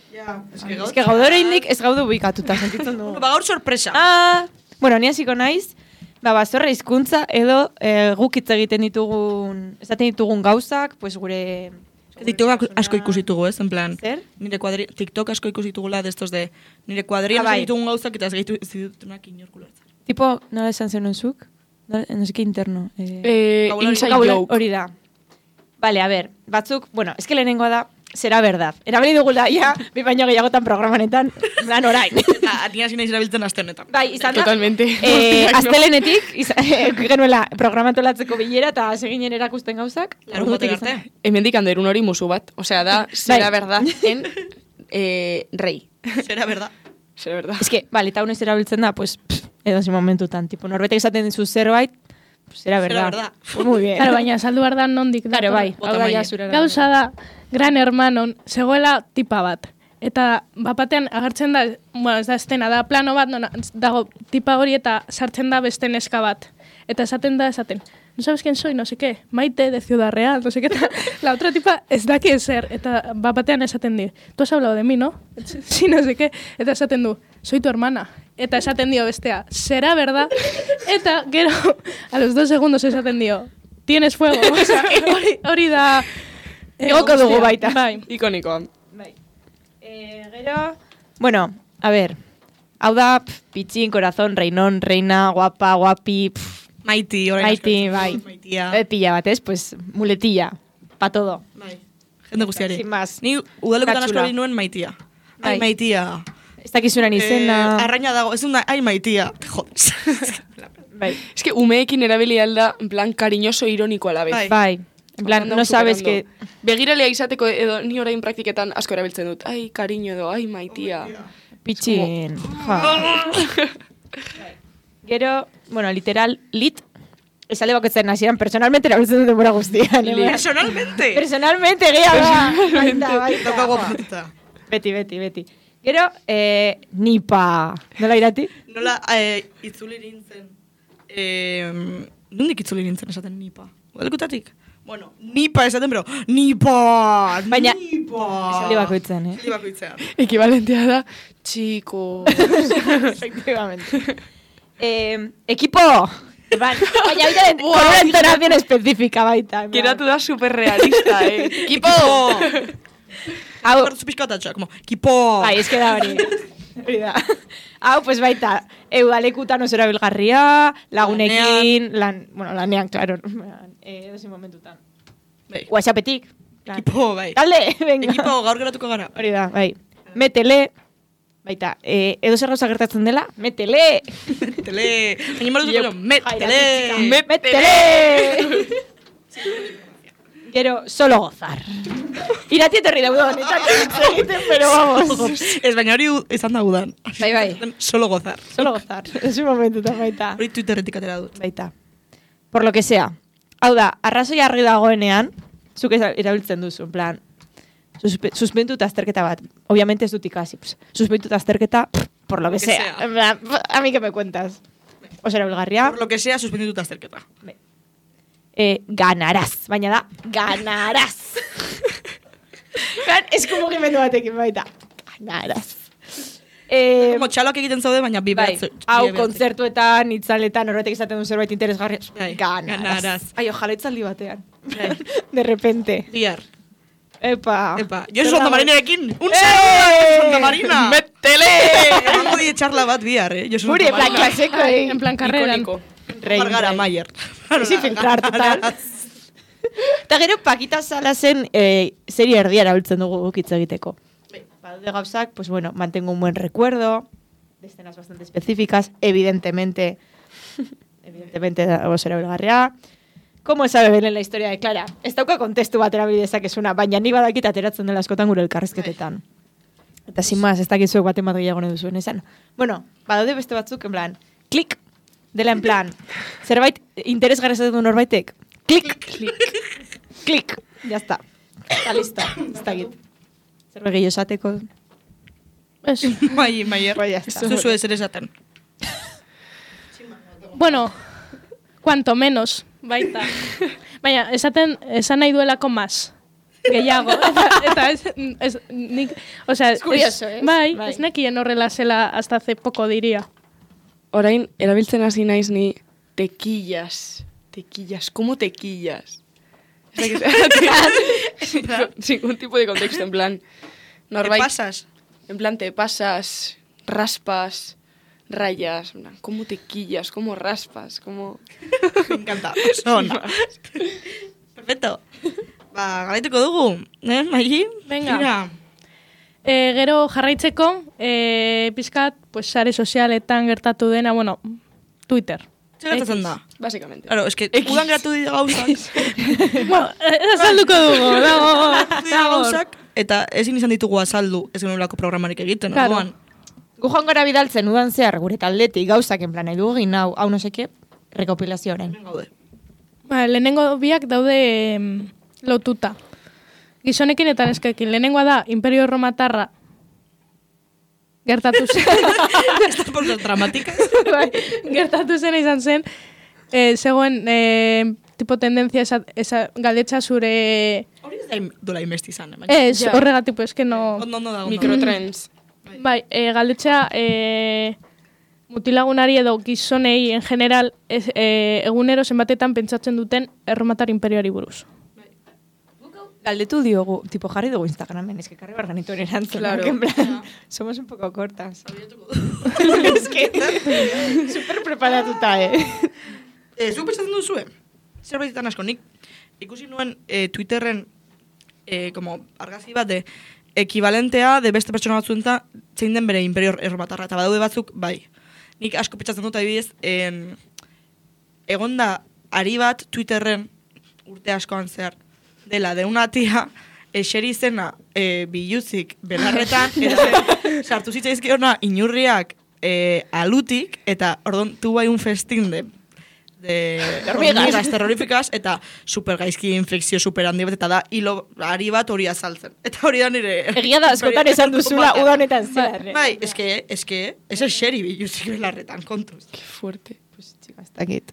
A: Es
C: que gaur oraindik ez gaudu bikatuta sentitzen dugu.
A: Ba, gaur sorpresa.
C: Bueno, ni hasiko naiz. Bazorra hizkuntza edo guk hitz egiten ditugun, esaten ditugun gauzak, pues gure
A: TikTok asko ikusi ditugu, ez, en plan.
C: Zer?
A: TikTok asko ikusi ditugula de estos de nire kuadrian ditugun gauzak eta ez gehitu ditunak inorkulartzen.
C: Tipo, nola esan zenuen zuk? No sé qué interno.
B: Inside joke.
C: Hori da. Vale, a ver, batzuk, bueno, es que lehenengoa da, será verdad. Erabili dugula, ja, bi baino gehiagotan programanetan, lan orain.
A: Eta atina zina izrabiltzen aste honetan.
C: Bai, izan da.
B: Totalmente.
C: Astelenetik, genuela programatu latzeko bilera, eta seginen erakusten gauzak.
A: Larun batek arte.
B: Hemendik anderun hori musu bat. Osea, da, será verdad en rei.
A: Será verdad.
B: Será verdad.
C: Es que, vale, eta unez erabiltzen da, pues, edo zi momentutan, tipo, norbetek esaten dizu zerbait, pues será verdad. Pues muy bien.
E: Claro, baina saldu behar da nondik.
C: Claro, bai. Hau da, ja, zure.
E: Gauza da, Gran Hermanon, zegoela tipa bat. Eta bapatean agertzen da, bueno, ez da estena, da plano bat, dago tipa hori eta sartzen da beste neska bat. Eta esaten, no sabes quién soy, no sé qué, Maite de Ciudad Real, no sé qué, la otra tipa ez daki ezer, eta batean esaten di, tú has hablado de mí, ¿no? Sí, no sé qué, eta esaten du, soy tu hermana. Eta esaten dio bestea, será verdad? Eta gero, a los 2 segundos esaten dio, tienes fuego. O sea, hori da...
C: Egoko dugu baita.
B: Bai. Ikonikoa.
C: Bai. Gero, bueno, a ver, hau da, pitxin, corazón, reinón, reina, guapa, guapi,
A: Maiti,
C: Maiti, bai.
A: Maitia.
C: Pilla bat, ez? Pues, muletilla, pa todo.
A: Bai. Jende guztiari.
C: Sin más.
A: Ni udalekutan asko
C: Katxula.
A: hori nuen Maitia. Ai,
C: Bai.
A: Maitia.
C: Ez dakizunan izena.
A: Arraina dago, ez da, ai, Maitia. Jodes.
C: Bai.
B: Es que umeekin erabili alda, en plan, cariñoso, ironiko alabez.
A: Bai.
C: Bai. En plan, no sabes que...
B: Begiralea izateko edo ni orain praktiketan asko erabiltzen dut. Ai, cariño edo, ai, Maitia.
C: Pitxin. Gero, bueno, literal, lit. Ez alde bakotzen hasieran, personalmente erabiltzen dut denbora guztian.
A: Personalmente.
C: Personalmente, gehiago da. Baita.
A: Tokago patita.
C: Beti. Gero, nipa. Nola irati?
A: Nola, itzuli nintzen. Nondik itzuli nintzen esaten nipa? Udalekutatik? Bueno, nipa esaten, pero nipa!
C: Baina,
A: nipa!
C: esaldi bakoitzen,
A: Esaldi bakoitzean.
B: Ekibalentea da, chicos.
C: Efectivamente. Equipo! Baina baita con una entonación específica baita.
B: Geratu da superrealista, Equipo!
C: Hau,
A: Su pixkatatxa, como, kipo!
C: bai, ez da hori. Hori da. Hau, pues baita, eudalekutan oso erabilgarria, lagunekin, lanean, claro, edozein momentutan.
A: Bai.
C: WhatsAppetik.
A: Kipo, bai.
C: Talde, venga.
A: Ekipo, gaur geratuko gara.
C: Hori da, bai. Metele, baita, edo zer gauza gertatzen dela, metele!
A: Metele! Baina malutuko, metele!
C: Metele! Gero, solo gozar. Irati etorri daudon, eta egiten, pero vamos.
A: Ez baina hori izan da udan.
C: Bai.
A: Solo gozar.
C: Solo gozar. Ez un momentutan, baita.
A: Hori Twitterretik atera dut.
C: Baita. Por lo que sea. Hau da, arrazoi argi dagoenean, zuk erabiltzen duzu, en plan, suspenduta azterketa bat. Obviamente ez dut ikasi. Suspenduta azterketa, por lo que sea. En plan, a mí que me cuentas. Oso erabilgarria.
A: Por lo que sea, suspenditu azterketa.
C: Ganarás. Baina da, ganarás. Ez mugimendu batekin baita. Ganarás.
A: Como txaloak egiten zaude, baina bi
C: Bai,
A: behatze.
C: hau kontzertuetan, itzaletan, horretek izaten du zerbait interesgarria.
A: Bai,
C: Ganarás.
A: ganarás.
C: Ai, ojalá itzaldi batean.
A: Bai.
C: De repente.
A: Bihar.
C: Epa.
A: Jo Santa Marinarekin. Un saludo Santa Marina.
B: Metele!
A: Emango die txarla bat bihar, Josu
C: Guri,
A: Santa
C: en plan,
A: Marina.
C: klaseko,
E: En plan, karreran.
B: Ikoniko.
A: Margara Mayer.
C: Sin filtrar, total. Eta gero, Pakita Salasen serie erdia erabiltzen dugu hitz egiteko. Badaude gauzak, pues bueno, mantengo un buen recuerdo, de escenas bastante específicas, evidentemente oso erabilgarria. ¿Cómo sabe Belén la historia de Clara? Ez dauka kontestu bat erabili dezakezuna, baina ni badakit ateratzen dela askotan gure elkarrizketetan. Eta sin más, ez dakizuek baten bat gehiago nahi duzuen esan. Bueno, badaude beste batzuk, en plan, klik, dela en plan, zerbait interesgarri esaten du norbaitek, klik, klik, ya está. Está listo, ez dakit. Zerbait gehiago esateko.
A: Mayer.
C: Bai, ya está.
A: Zuzu ez ere esaten.
E: Bueno, cuanto menos, baita. Baina, esan nahi duelako más. Gehiago. Eta ez nik, o sea,
C: es curioso, ¿eh?
E: Bai, ez nekien horrela zela hasta hace poco diría.
B: Orain, erabiltzen hasi naiz ni tequillas. Tequillas, ¿cómo tequillas? Sin ningún tipo de contexto, en plan...
A: Norbait. ¿Te pasas?
B: En plan, te pasas, raspas, rayas, ¿cómo tequillas? ¿Cómo raspas? ¿Cómo...?
A: Me encanta. Sona. Perfecto. Ba, galaituko dugu. Maigi?
E: Venga. Gero jarraitzeko, pizkat, pues, sare sozialetan gertatu dena, bueno, Twitter.
A: Zer gertatzen da?
B: Básicamente.
A: Claro, es que udan geratu dira gauzak.
E: Bueno, azalduko dugu.
A: Gauzak, eta ezin izan ditugu azaldu ez genulako programarik egiten.
E: Claro.
A: Orduan.
C: Gu joan gara bidaltzen udan zehar gure taldetik gauzak en plan edu egin hau no seke, rekopilazio orain.
A: Gaude.
E: Ba, lehenengo biak daude lotuta. Gizonekin eta neskekin. Lehenengoa da Imperio Romatarra gertatu zen.
A: Estas cosas dramáticas.
E: Bai, gertatu zen izan zen zegoen tipo tendencia esa galdetza zure...
A: Hori ez da dola imesti izan.
E: Ez, horregatik, pues, que no...
A: Ondo da.
B: Microtrends.
E: Bai, galdetza mutilagunari edo gizonei en general egunero zenbatetan pentsatzen duten erromatar imperioari buruz.
C: Galdetu diogu, tipo jarri dugu Instagramen, es que karri barganitu erantzun.
B: Claro.
C: En plan, somos un poco cortas. Es que, super preparatuta,
A: Zuk pentsatzen duzue? Zerbaitetan asko, nik ikusi nuen Twitterren como argazki bat de ekibalentea de beste pertsona batzuenta zein den bere imperio erromatarra. Eta badaude batzuk, bai. Nik asko pentsatzen dut adibidez, egonda ari bat Twitterren urte askoan zehar dela de una tía eseri zena biluzik belarretan eta sartu zitzaizkiona inurriak alutik eta ordon tuvo ahí un festín de hormigas terroríficas eta super gaizki infekzio super handi bat eta da hilo ari bat hori azaltzen. Eta hori da nire...
C: Egia da, askotan esan duzula uda honetan zehar.
A: Bai, eske, ez eseri biluzik belarretan, kontuz.
B: Qué fuerte.
C: Pues, chica, ez dakit.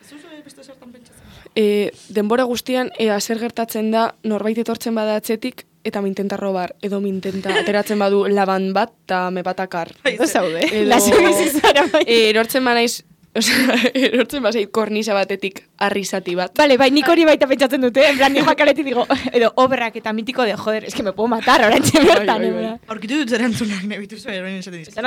A: Ez duzu beste zertan pentsatzen?
B: Denbora guztian, zer gertatzen da, norbait etortzen bada atzetik, eta mintenta robar, edo mintenta ateratzen badu laban bat, eta me batakar.
C: Edo zaude.
B: Lazo bizizara bai. Erortzen banaiz, erortzen bazait kornisa batetik arrizati bat.
C: Vale, bai, nik hori baita pentsatzen dute, en plan, nioa kaletik digo, edo obrak eta mitiko de, joder, es que me puedo matar, orantxe bertan.
A: Aurkitu dut erantzunak, nebitu zuen, orain esaten dizut.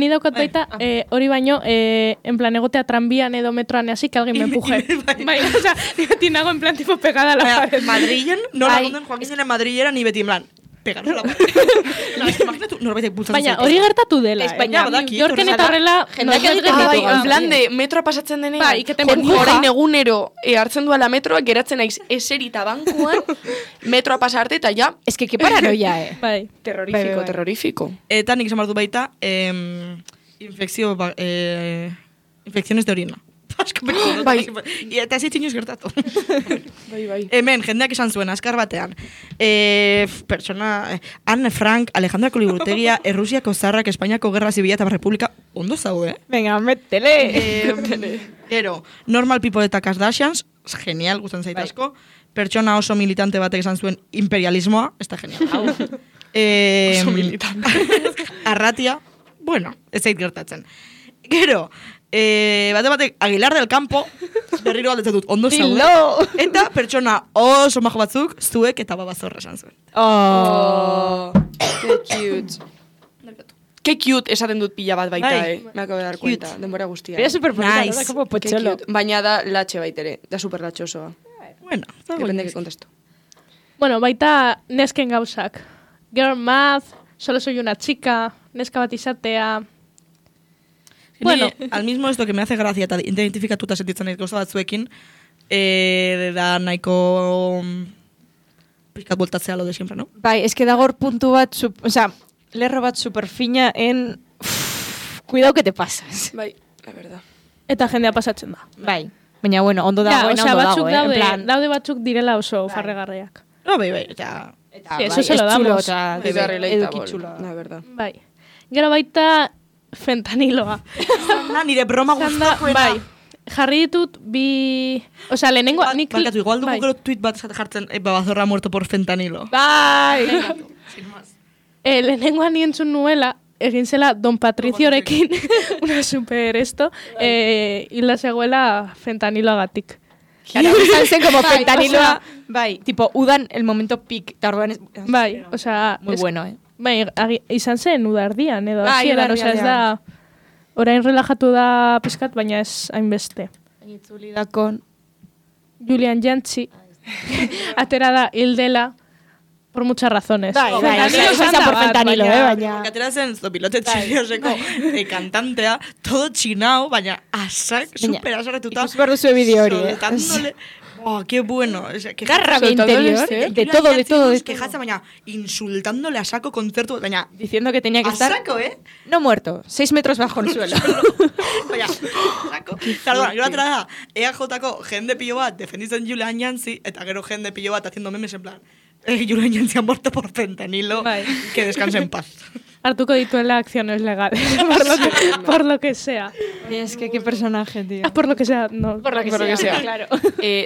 E: Ni daukat baita, hori baino, en plan, egotea tranbian edo metroan así, que alguien me empuje. Bai, o sea, tinago en plan, tipo, pegada a la pared.
A: Madrilen, nola gonden, Joaquín zenen Madrilera, ni beti en plan, pegarra la pared. Imaginatu, norbaitek bultzatzen
E: Baina, hori gertatu dela.
A: Baina, badaki.
E: Jorken eta horrela,
B: En plan de, metroa pasatzen denean,
E: bai, iketen burbuja.
B: orain egunero hartzen duela metroa, geratzen naiz eserita bankuan, metroa pasarte eta ja...
C: Es que paranoia,
E: Bai.
B: Terrorífico, terrorífico.
A: Eta nik esan bardu baita, infekziones de orina.
B: Bai.
A: Eta ez inoiz gertatu.
B: Bai.
A: Hemen, jendeak esan zuen, azkar batean. Anne Frank, Alejandra Koliburutegia, Errusiako zarrak, Espainiako Gerra Zibila eta Republika, ondo zaude,
C: Venga, métele.
A: Gero, Normal People eta Kardashians, genial, gustan zait asko. Pertsona oso militante batek esan zuen imperialismoa, ez da genial.
B: Oso militante.
A: Arratia, bueno, ez zait gertatzen. Gero, batek Aguilar del Campo, berriro galdetzen dut, ondo zaude. Eta pertsona oso majo batzuk, zuek eta babazorra esan zuen.
B: Qué cute. Qué cute esaten dut pila bat baita, Me acabo de dar cuenta, denbora guztia.
C: Era super bonita,
A: Nice.
C: da como pocholo.
B: Baina da latxe baitere, da super latxosoa.
A: Bueno,
B: Depende que contesto.
E: Bueno, baita nesken gauzak. Girl math, solo soy una chica, neska bat izatea...
A: Bueno, al mismo esto que me hace gracia eta identifikatuta sentitzen naiz gauza batzuekin, da nahiko pizkat voltatzea lo de siempre, ¿no?
C: Bai, es que da gor puntu bat, o sea, lerro bat super fina en... Cuidado que te pasas.
B: Bai, la verdad.
E: Eta jendea pasatzen da.
C: Bai. Baina, bueno, ondo dagoena, ondo
E: batzuk
C: dago, en plan...
E: daude batzuk direla oso farregarriak.
A: No, bai, eta...
E: Sí, eso se lo damos.
B: Es da relatable,
C: edukitxula.
B: la verdad.
E: Bai. Gero baita fentaniloa.
A: Nire broma gustakoena.
E: Bai. Jarri ditut bi... O sea, lehenengo...
A: Barkatu, igual dugu gero tweet bat jartzen, babazorra muerto por fentanilo.
E: Bai!
A: Sin más.
E: Lehenengoan nientzun nuela, egin zela Don Patriciorekin, una super esto, hila zegoela fentaniloagatik.
C: Claro, izan zen como
E: Bai,
C: fentaniloa, bai, tipo, udan el momento peak, eta orduan...
E: Bai, o sea...
C: Muy bueno,
E: Bai, izan zen udardian, edo
C: Bai,
E: hasieran, o sea, ez da... Orain relajatu da pizkat, baina ez hainbeste.
C: Itzuli da kon...
E: Julian Jantzi, atera da hildela, por muchas razones.
C: Bai, izan por fentanilo, baina...
A: Porque atera zen zopilote txirioseko kantantea, todo txinao, baina asak, super asarretuta.
C: Ikus behar duzu bideo hori,
A: Soltándole... Oh, qué bueno. O sea,
C: Garra interior, de todo.
A: Quejarse, baina, insultándole a saco concerto, baina...
C: Diciendo que tenía que
A: a
C: estar...
A: saco,
C: No muerto, 6 metros bajo el suelo.
A: Baina, saco. Claro, gero atera da, EAJ-ko jende pilo bat defenditzen Julian Jantzi, eta gero jende pilo bat haciendo memes en plan, Julian Jantzi ha muerto por fentanilo, que descanse en paz.
E: Hartuko dituela acciones legales, por lo que sea.
C: Es que qué personaje, tío.
E: Por lo que sea, no.
C: Por lo que sea, claro.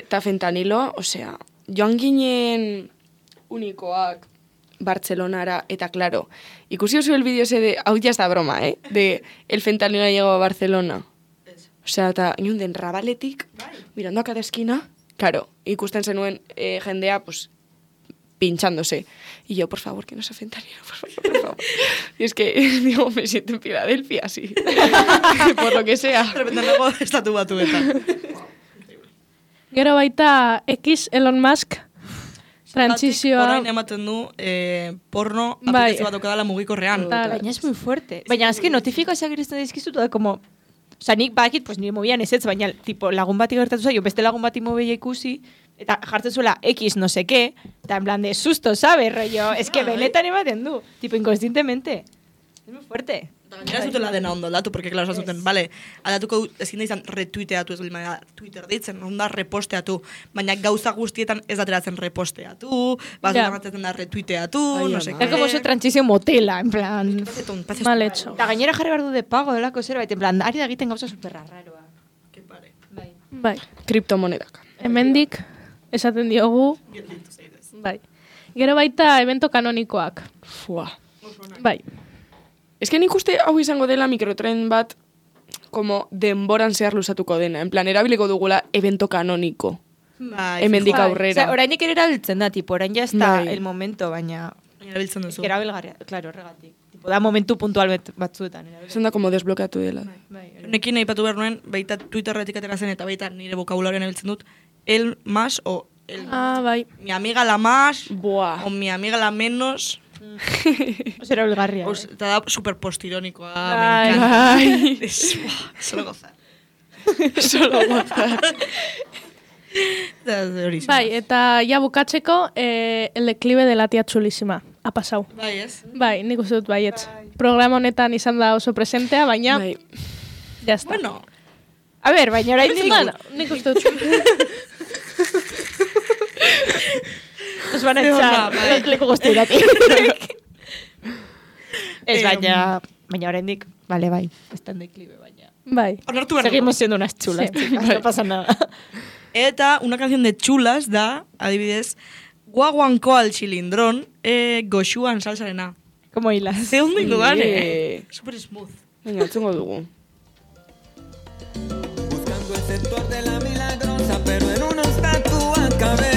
B: Ta fentanilo, osea, joan ginen unikoak Bartzelonara, eta claro, ikusi oso el vídeo ese de, hau ya está broma, de el fentanilo ha llegado a Barcelona. Osea, eta inunden rabaletik, mirando a cada esquina, claro, ikusten zenuen jendea, pues, pinchándose. Y yo, por favor, que no sea fentanilo, por favor. Y es que, digo, me siento en Filadelfia, así. Por lo que sea.
A: De repente luego estatu batuetan.
E: Gero baita X Elon Musk trantsizioa.
A: Orain ematen du porno aplikazio bat okadala mugikorrean.
C: Baina es muy fuerte. Baina es que notifikazioak iristen dizkizu da como... Osa, nik bakit, pues nire mobian ez, baina tipo, lagun bati gertatu zaio, beste lagun bati mobila ikusi, eta jartzen zuela X no sé qué, eta en plan de susto, ¿sabes? Rollo, es que benetan ematen du, tipo, inconscientemente. Es muy fuerte.
A: Gainera zutela dena ondo aldatu, porque, claro, zuten, vale, aldatuko ezin da izan retuiteatu, ez baina Twitter ditzen, onda reposteatu, baina gauza guztietan ez dateratzen reposteatu, bazutan batzen da retuiteatu, no sé qué.
C: Es como oso trantsizio motela, en plan...
E: Mal hecho.
C: Eta gainera jarri behar du de pago delako zerbait, en plan, ari da egiten gauza superraroa.
A: Que pare.
E: Bai.
B: Kriptomonedak.
E: Hemendik esaten diogu. Bai. Gero baita evento kanonikoak.
B: Fua.
E: Bai.
B: Ez que nik uste hau izango dela mikrotren bat como denboran zehar luzatuko dena. En plan, erabiliko dugula evento kanoniko. Hemendik aurrera.
C: Osea, orainik ere erabiltzen da, tipo, orain ja ez da el momento, baina...
A: Erabiltzen duzu.
C: Erabilgarria, claro, horregatik. Tipo, da momentu puntual batzuetan.
B: Esan da como desblokeatu dela.
A: Nekin aipatu behar nuen, baita Twitterretik atera zen, eta baita nire vokabularioan erabiltzen dut, el más o el...
E: Bai.
A: Mi amiga la más,
B: Buah.
A: o mi amiga la menos...
C: Oso erabilgarria.
A: Eta da super postironikoa,
C: Bai.
A: me encanta. Solo gozar.
B: Solo gozar.
E: Bai, eta ja bukatzeko el declive de la tía chulísima. Ha pasau.
A: Bai, ez?
E: Bai, nik uste dut baietz. Programa honetan izan da oso presentea, baina...
B: Bai.
E: Ya está.
A: Bueno.
C: A ver, baina orain
E: Nik uste dut.
C: Nos van a echar leku guztietatik. Ez baina oraindik, vale, bai, está en declive, baina.
E: Bai.
C: Seguimos siendo unas chulas, chicas, no pasa nada.
A: Eta una canción de chulas da, adibidez, guaguanko al chilindrón, goxuan salsarena.
C: Como hilas.
A: Ze ondo ingo gane. Super smooth.
B: Venga, entzungo dugu.
F: Buscando el sector de la milagrosa, pero en una estatua acabé.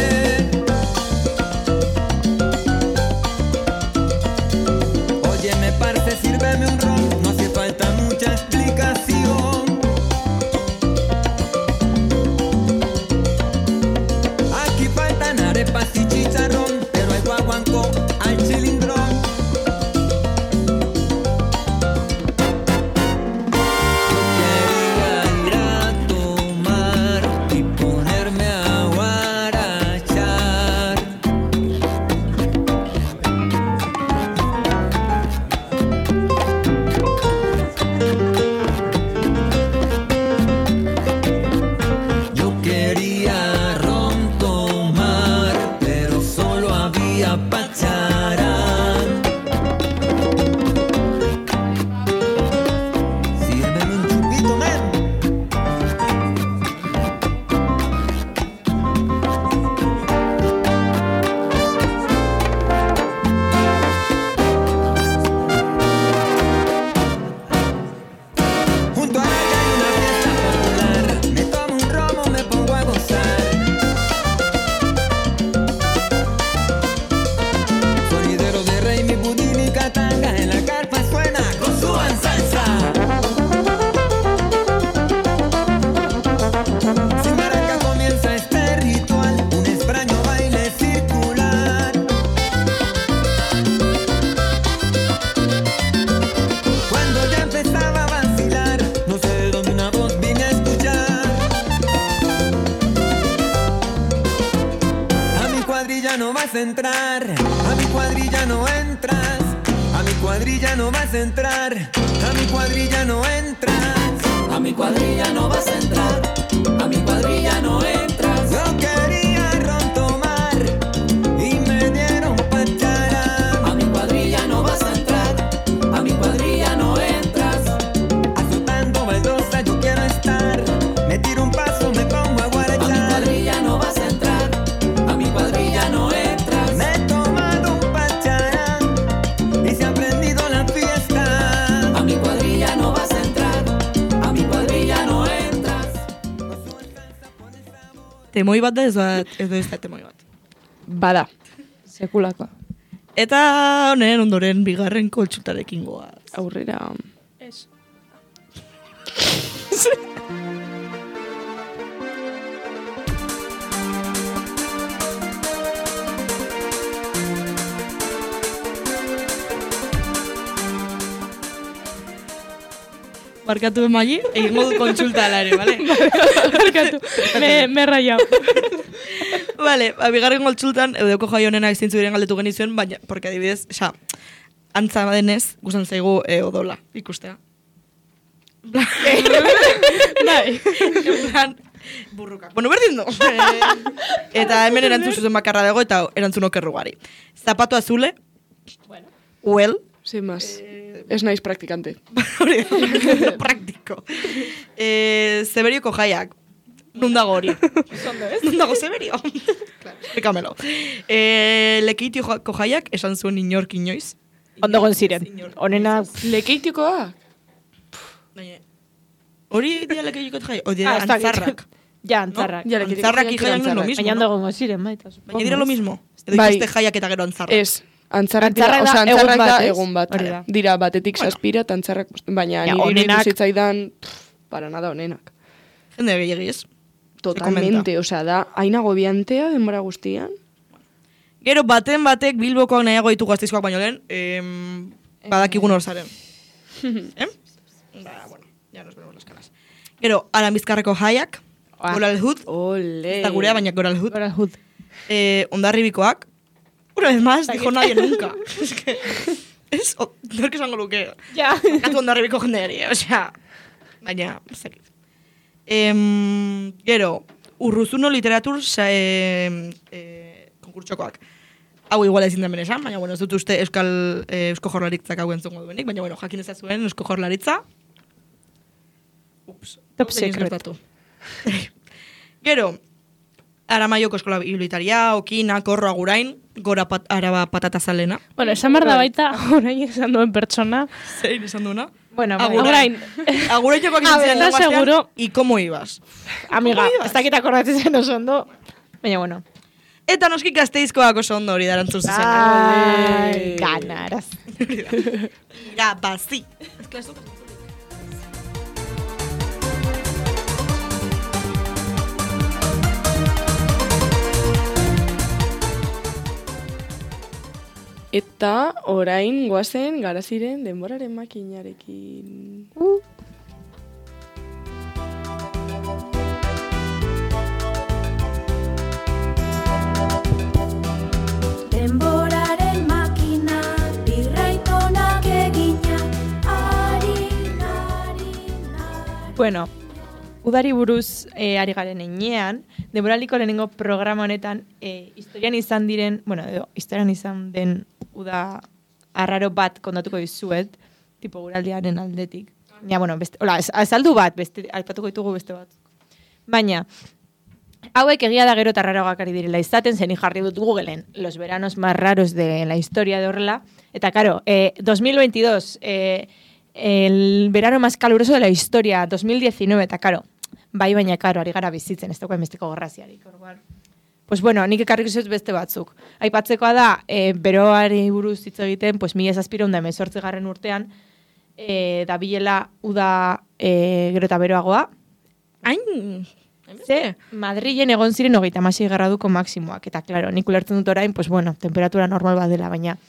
F: Oye, me parece, sírveme un ron, no hace falta mucha explicación. Aquí faltan arepas y chicharrón, pero hay guaguancó al chilindrón. No vas a entrar, a mi cuadrilla no entras, a mi cuadrilla no vas a entrar, a mi cuadrilla no entras, a mi cuadrilla no vas a entrar, a mi cuadrilla no entras. Yo quería ron tomar y me dieron pachara. A mi cuadrilla no vas a entrar, a mi cuadrilla no entras. Azotando baldosa yo quiero
A: temoi bat da, ez da temoi bat.
B: Bada.
C: Sekulako.
A: Eta honen ondoren bigarren kontsultarekin goaz.
B: Aurrera.
E: Ez.
A: Barkatu emai, egingo du kontsulta alare, bale?
E: Barkatu, me rayau.
A: Vale, bigarren kontsultan, eudeko jai honenak zintzu diren galdetu genizuen, baina, porque adibidez, antza denez, gustan zaigu odola, ikustea.
E: Bai.
A: En plan, burruka. Bueno, berdin du. Eta hemen erantzun zuzen bakarra dago, eta erantzun okerrugari. Zapato azule, well,
B: Sin más. Ez naiz praktikante.
A: Praktiko. Zeberioko jaiak. Nun dago hori? Nun dago Zeberio? Explícamelo. Lekeitioko jaiak esan zuen inork inoiz.
C: Ondo gon ziren. Honena...
B: Lekeitikoak?
A: Hori dia lekeitiko jaiak? O dira antzarrak?
C: Ja, antzarrak.
A: Antzarrak jaiak no es lo mismo.
C: Baina ondo gongo ziren, baita.
A: Baina dira lo mismo? Edo ikuste jaiak eta gero antzarrak?
B: Ez. Antzarrak da egun bat. Dira batetik saspira eta antzarrak, baina nire zitzaidan para nada onenak.
A: Jende gehiagiz.
B: Totalmente, osea, da, haina gobiantea denbora guztian.
A: Gero batek Bilbokoak nahiago ditu Gasteizkoak baino lehen, badakigun hor zaren. Bueno, ya nos vemos las caras. Gero, Aranbizkarreko jaiak, Goral Hood, eta gurea, baina Goral Hood. Hondarribikoak, una vez más, dijo nadie nunca. Es que, nork esango luke.
C: Ja.
A: Gatu Hondarribiko jendeari, osea, baina, zekit. Gero, Urruzuno literatur konkurtsokoak. Hau igual ezin den benesan, baina bueno, ez dut uste Eusko Jaurlaritzak hau entzungo duenik, baina bueno, jakin ezazuen Eusko Jaurlaritza. Ups.
C: Top secret.
A: Gero, Aramaioko eskola bibliotaria, Okina, Korro, Agurain, Gora Araba Patatazalena.
E: Bueno, esan behar da baita, Agurain esan duen pertsona.
A: Zein esan duena?
C: Bueno,
E: Agurain.
A: Agurain jokoak izan ziren lenguastean,
E: seguro.
A: y cómo ibas.
C: Amiga, ez dakit akordatzen zen oso ondo, baina bueno.
A: Eta noski Gasteizkoak oso ondo hori darantzun zuzen.
C: Ai, ganaraz.
A: Irabazi.
B: Eta orain goazen Garaziren denboraren makinarekin.
G: Denboraren makina, birraitonak egina, ari.
C: Bueno, udari buruz ari garen enean, denboraliko lehenengo programa honetan historian izan diren, historian izan den uda arraro bat kontatuko dizuet, tipo guraldiaren aldetik. Ja, bueno, azaldu bat, aipatuko ditugu beste bat. Baina, hauek egia da gero tarraroak ari direla izaten, zen jarri dut Googleen los veranos más raros de la historia de horrela. Eta, karo, 2022, el verano más caluroso de la historia, 2019, eta, karo, baina, karo, ari gara bizitzen, ez dagoen besteko gorraziarik, orduan. Pues bueno, nik ekarrik izuz beste batzuk. Aipatzekoa da, beroari buruz hitz egiten, pues 1718 urtean, da bilela uda gero eta beroagoa.
A: Hain...
C: Ze, Madrilen egon ziren 36 graduko maksimoak. Eta, klaro, nik ulertzen dut orain, pues bueno, temperatura normal bat dela, baina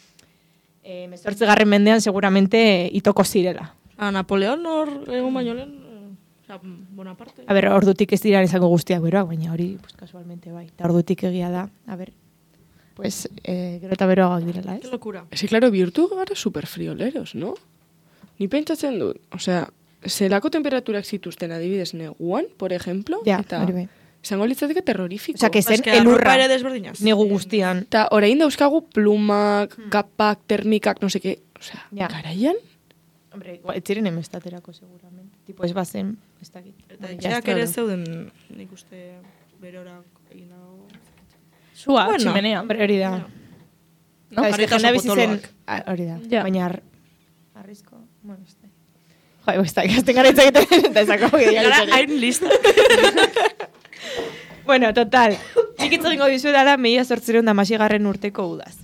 C: 18. mendean seguramente itoko zirela.
A: Napoleon hor egon baino lehen, Bonaparte.
C: A ber, ordutik ez dira izango guztiak beroak, baina hori, pues, casualmente bai. Eta ordutik egia da, a ber, pues, gero eta beroagoak direla, ez?
A: Qué locura.
B: Ese, claro, bihurtu gara superfrioleros, no? Ni pentsatzen dut, osea, zelako temperaturak zituzten adibidez neguan, por ejemplo,
C: ja,
B: eta
C: hori bai.
B: izango litzateke terrorifiko.
C: Osea, que zen
A: Es que
C: elurra
A: arropa ere desberdinaz.
C: negu guztian.
B: Eta orain dauzkagu plumak, kapak, termikak, no seke, osea,
C: Ja.
B: garaian?
C: Hombre, ez ziren emestaterako seguramente. Tipo, ez bazen, ez dakit.
A: Eta etxeak ere zeuden, nik uste berorak egin dago.
E: Sua,
A: Bueno.
E: tximenea.
C: Hombre, hori da.
A: No,
C: Eta
A: jarrita
C: jendea bizi zen,
A: potoloak.
C: hori da.
E: Ja.
C: Baina arrizko, bueno, ez da. Jo, ez da, gazten gara hitz egiten, eta ezako
A: Gara hain lista.
C: Bueno, total. Nik hitz egingo dizuedala 1816 urteko udaz.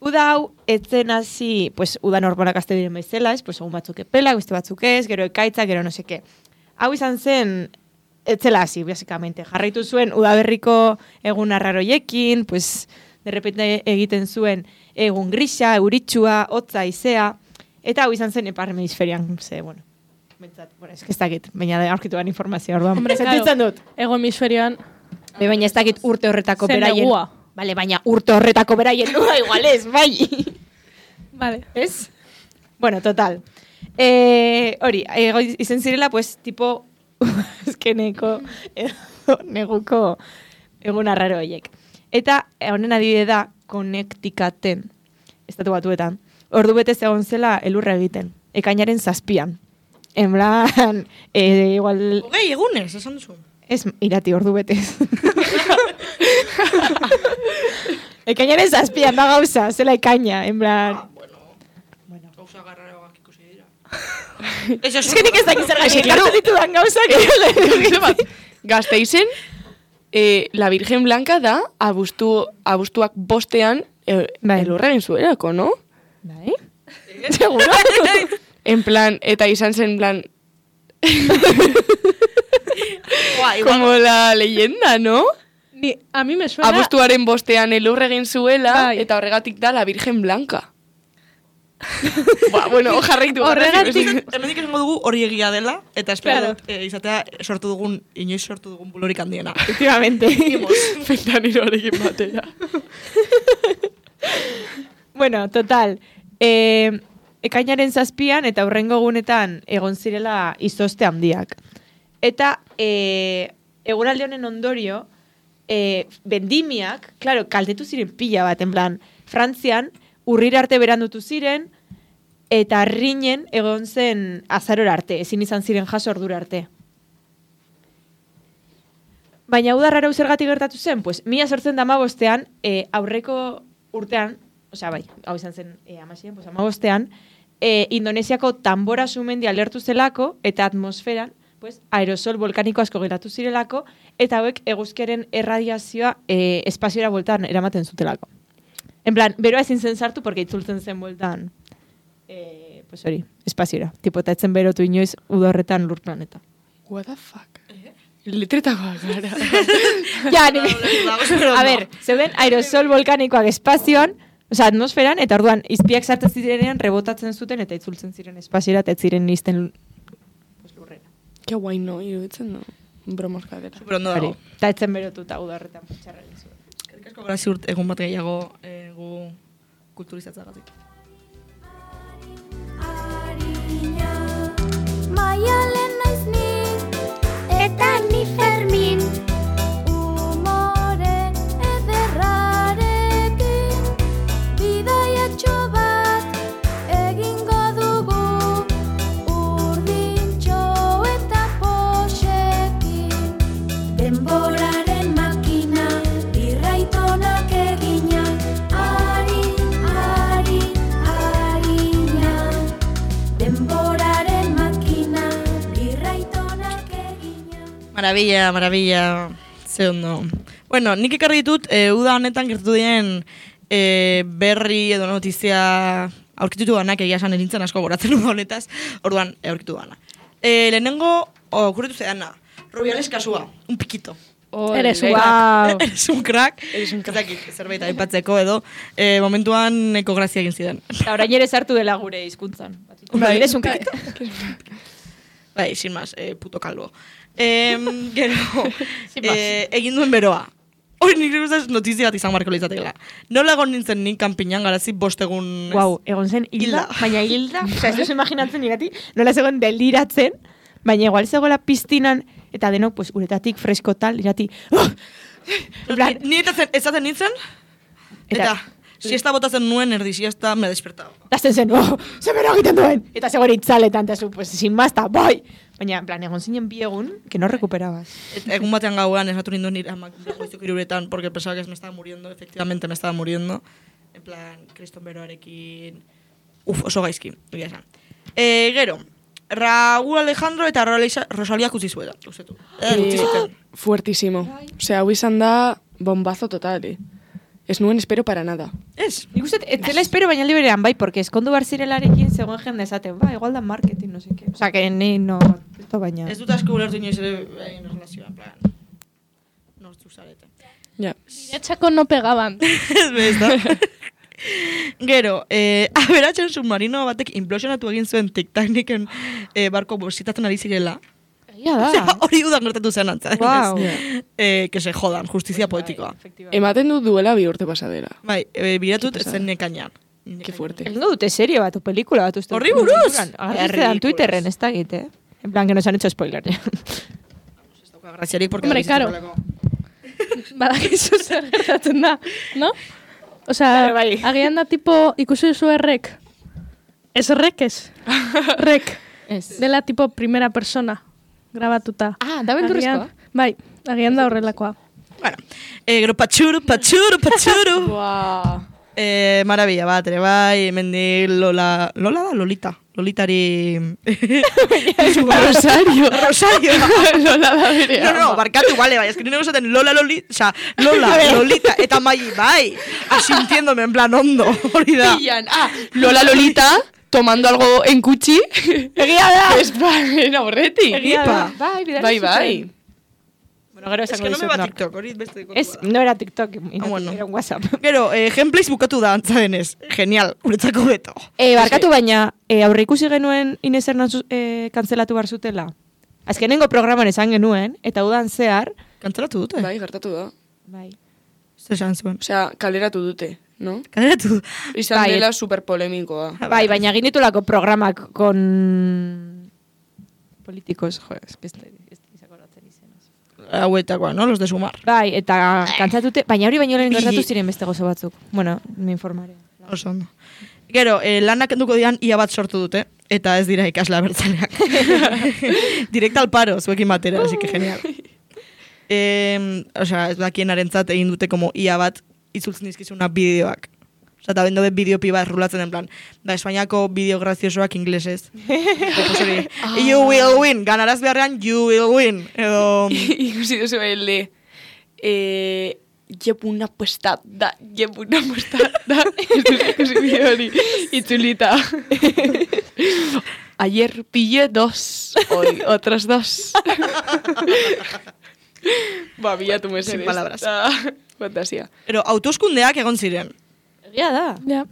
C: Uda hau, etzen hasi, pues, uda normalak azte diren baizela, pues, egun batzuk epelak, beste batzuk ez, gero ekaitza, gero no seke. Hau izan zen, etzela hasi, básicamente. Jarraitu zuen udaberriko egun arraroiekin, pues, de repente egiten zuen egun grisa, euritsua, hotza, izea, eta hau izan zen ipar hemisferian, bueno, ez que ez dakit, baina aurkitu ban informazioa, orduan.
E: Hombre,
C: sentitzen dut.
E: Ego hemisferioan
C: Baina ez dakit urte horretako
E: zen
C: beraien.
E: negua.
C: Vale, baina urte horretako beraien nua igual ez, bai.
E: Vale.
C: ¿Ez? Bueno, total. Hori, izen zirela, pues, tipo, eskeneko, neguko egun arraro horiek. Eta, honen adibide da, Connecticuten, estatu batuetan, ordu betez egon zela elurra egiten, ekainaren 7an. En plan, igual...
A: Hogei, egunez, esan duzu.
C: Ez, irati, ordu betez. Ekainaren 7an, da gauza, zela ekaina, en plan...
A: Bueno. Gauza garraroak ikusi dira.
C: Ez que nik ez dakit zer gaixik, hartu ditudan gauzak.
B: Gasteizen, la Virgen Blanca da, abuztuak bostean, elurra egin zuelako, no?
C: Bai? Seguro?
B: En plan, eta izan zen, plan... Como la leyenda, ¿no?
E: A mí me suena...
B: Abuztuaren bostean elurra egin zuela,
E: Bai.
B: eta horregatik da la Virgen Blanca. Bueno, jarraitu.
A: Hemendik esango dugu hori egia dela, eta espero
E: Claro.
A: izatea inoiz sortu dugun bulorik handiena.
C: Efectivamente.
B: Fentaniloarekin batera.
C: Bueno, total. Ekainaren 7an eta hurrengo egunetan egon zirela izozte handiak. Eta eguraldi honen ondorio, vendimiak, claro, kaltetu ziren pila bat, en plan, Frantzian, urrira arte berandutu ziren, eta rinen egon zen azarora arte, ezin izan ziren jaso ordura arte. Baina udarrara zergatik gertatu zen, pues, 1815an, aurreko urtean, osea, bai, hau izan zen amasien, pues, 15an, Indonesiako Tambora sumendi alertu zelako, eta atmosferan, pues, aerosol volkaniko asko geratu zirelako, eta hauek eguzkiaren erradiazioa espaziora bueltan eramaten zutelako. En plan, beroa ezin zen sartu, porque itzultzen zen bueltan, pues hori, espaziora. Tipo, eta etzen berotu inoiz udorretan lur planeta.
B: What the fuck? Letretagoak gara.
C: Ja, a ver, zeuden aerosol volkanikoak espazioan, osea, atmosferan, eta orduan, izpiak sartzen zirenean rebotatzen zuten, eta itzultzen ziren espaziora, eta ez ziren izten lurrera.
B: Ke guai, no, iruditzen, no. Bromos gadera.
A: Superondo dago.
C: Eta etzen berotuta udorretan txarra egin zuen.
A: Asko gara ziurt egun bat gehiago gu kulturizatzagatik.
G: Arina, Maialen naiz ni, eta ni Fermin. Umore ederrarekin, bidaiatxo bat egingo dugu, urdintxo eta poxekin. Denboraren makina, irraitonak egina, arina. Denboraren makina, irraitonak egina.
A: Maravilla, ze ondo. Bueno, nik ekarri ditut, uda honetan gertatu diren berri edo notizia aurkitutu danak, egia esan erintzen asko goratzen uda honetaz, orduan aurkitu dana. Lehenengo, okurritu zedana, Rubiales kasua, un pikito.
E: Eres
C: Wow.
A: Eres un crack. Ezakit, zerbait aipatzeko edo, momentuan eko grazia egin zidan.
C: Eta orain ere sartu dela gure hizkuntzan. Eres un kakito.
A: Bai, sin más, puto calvo. Gero, egin duen beroa. Hori nik guztaz notizia bat izan marko litzatekela. Nola egon nintzen nik kanpinan garazi 5 egun...
C: Wow, egon zen hilda, baina hilda. Osa, ez duzu imaginatzen irati, nola zegoen deliratzen, baina igual zegoela piztinan, eta denok, pues, uretatik fresko tal, irati...
A: Ni ezaten nintzen, eta siesta botatzen nuen erdi siesta me despertaba.
C: Lasten zen, zemero egiten duen! Eta zegoen itzaletan, eta zu, pues, sin mazta, bai! Baina, en plan, egon zinen bi egun, que no recuperabas.
A: Eta egun batean gauean esatu ninduen nire amak goizuk iruretan, porque pensaba que me estaba muriendo, efectivamente me estaba muriendo. En plan, kriston beroarekin... oso gaizki, egia esan. Gero, Raúl Alejandro eta Rosalía utzi zuela.
B: Fuertísimo. Osea, hau izan da bombazo total, Ez nuen espero para nada.
A: Ez.
C: Nik uste, ez dela espero baina liberean bai, porque eskondu bar zirelarekin zegoen jende esaten, igual da marketing, no sé qué. O sea, que ni no, esto baina.
A: Ez dut asko ulertu inoiz ere relazioa, en plan. Nortzu zarete.
B: Ja.
E: Niretzako no pegaban.
A: Ez da. Gero, aberatxen submarino batek implosionatu egin zuen Titaniken barko bositatzen ari zirela.
C: Ja da.
A: Osea, hori udan gertatu zen antza.
C: Wow.
A: Que se jodan, justizia poetikoa.
B: Ematen du duela 2 urte pasadera.
A: Bai, biratut zen nekainan.
B: Qué fuerte.
C: Egingo dute serie bat, o pelikula bat uste.
A: Horri buruz!
C: Agarritzen Twitterren, ez da egite. En plan, que nos han hecho spoiler.
A: Ez dauka graziarik, porque...
E: Hombre, karo. Badakizu zer gertatzen da, no? Osea, agian da tipo, ikusi duzu errek. Ez rek ez. Rek. Dela tipo primera persona. Grabatuta.
C: Ah, da benturrezkoa?
E: Bai, agian da horrelakoa.
A: Bueno, gero patxuru. Maravilla bat, ere bai, mendi Lola da, Lolitari...
B: Rosario.
A: Lola da bere. No, barkatu, vale, bai, eskrine gozaten Lola, Lolita, eta Mai, bai, asintiéndome en plan hondo, hori da.
B: Lola Lolita... tomando algo en Cuchi.
C: Egia da.
B: Ez bai, horretik.
C: Egia da.
B: Bai.
C: Bueno, gero
A: Es
C: esango
A: que no me
C: dizut
A: va
C: nork.
A: TikTok, hori beste kontua.
C: Ez, no era TikTok,
A: bueno.
C: era un WhatsApp.
A: Gero, gameplays bukatu da antza denez. Genial, uretzako beto.
C: Barkatu baina, aurre ikusi genuen Ines Hernandez kantzelatu bar zutela. Azkenengo programan esan genuen, eta udan zehar...
A: Kantzelatu dute?
B: Bai, gertatu da.
C: Bai.
A: Zer esan zuen.
B: Osea, kaleratu dute, no?
A: Kaleratu.
B: Izan dela superpolemikoa.
C: Bai, baina egin ditulako programak con... políticos, jo, ez izakoratzen izenaz.
A: Hauetakoa, no? Los de Sumar.
C: Bai, eta kantzatute, baina hori baino lehen gertatu ziren beste gozo batzuk. Bueno, me informaré.
A: Oso ondo. Gero, lanak enduko dian ia bat sortu dute, eta ez dira ikasle abertzaleak. Direkta al paro, zuekin batera, así que genial. Osea, ez dakien arentzat egin dute como ia bat itzultzen dizkizuna bideoak. Osea, eta bendo bet bideopi bat rulatzen en plan, da Espainiako bideo graziosoak inglesez. You will win, ganaraz beharrean, you will win. Edo...
B: Ikusi duzu el llevo una apuesta da. Ikusi bideo hori, itzulita. Ayer pillé 2, hoy otros 2. Bilatu mesedez.
A: Sin palabras.
B: Fantasia.
A: Pero autoskundeak egon ziren.
C: Egia da.
E: Ja.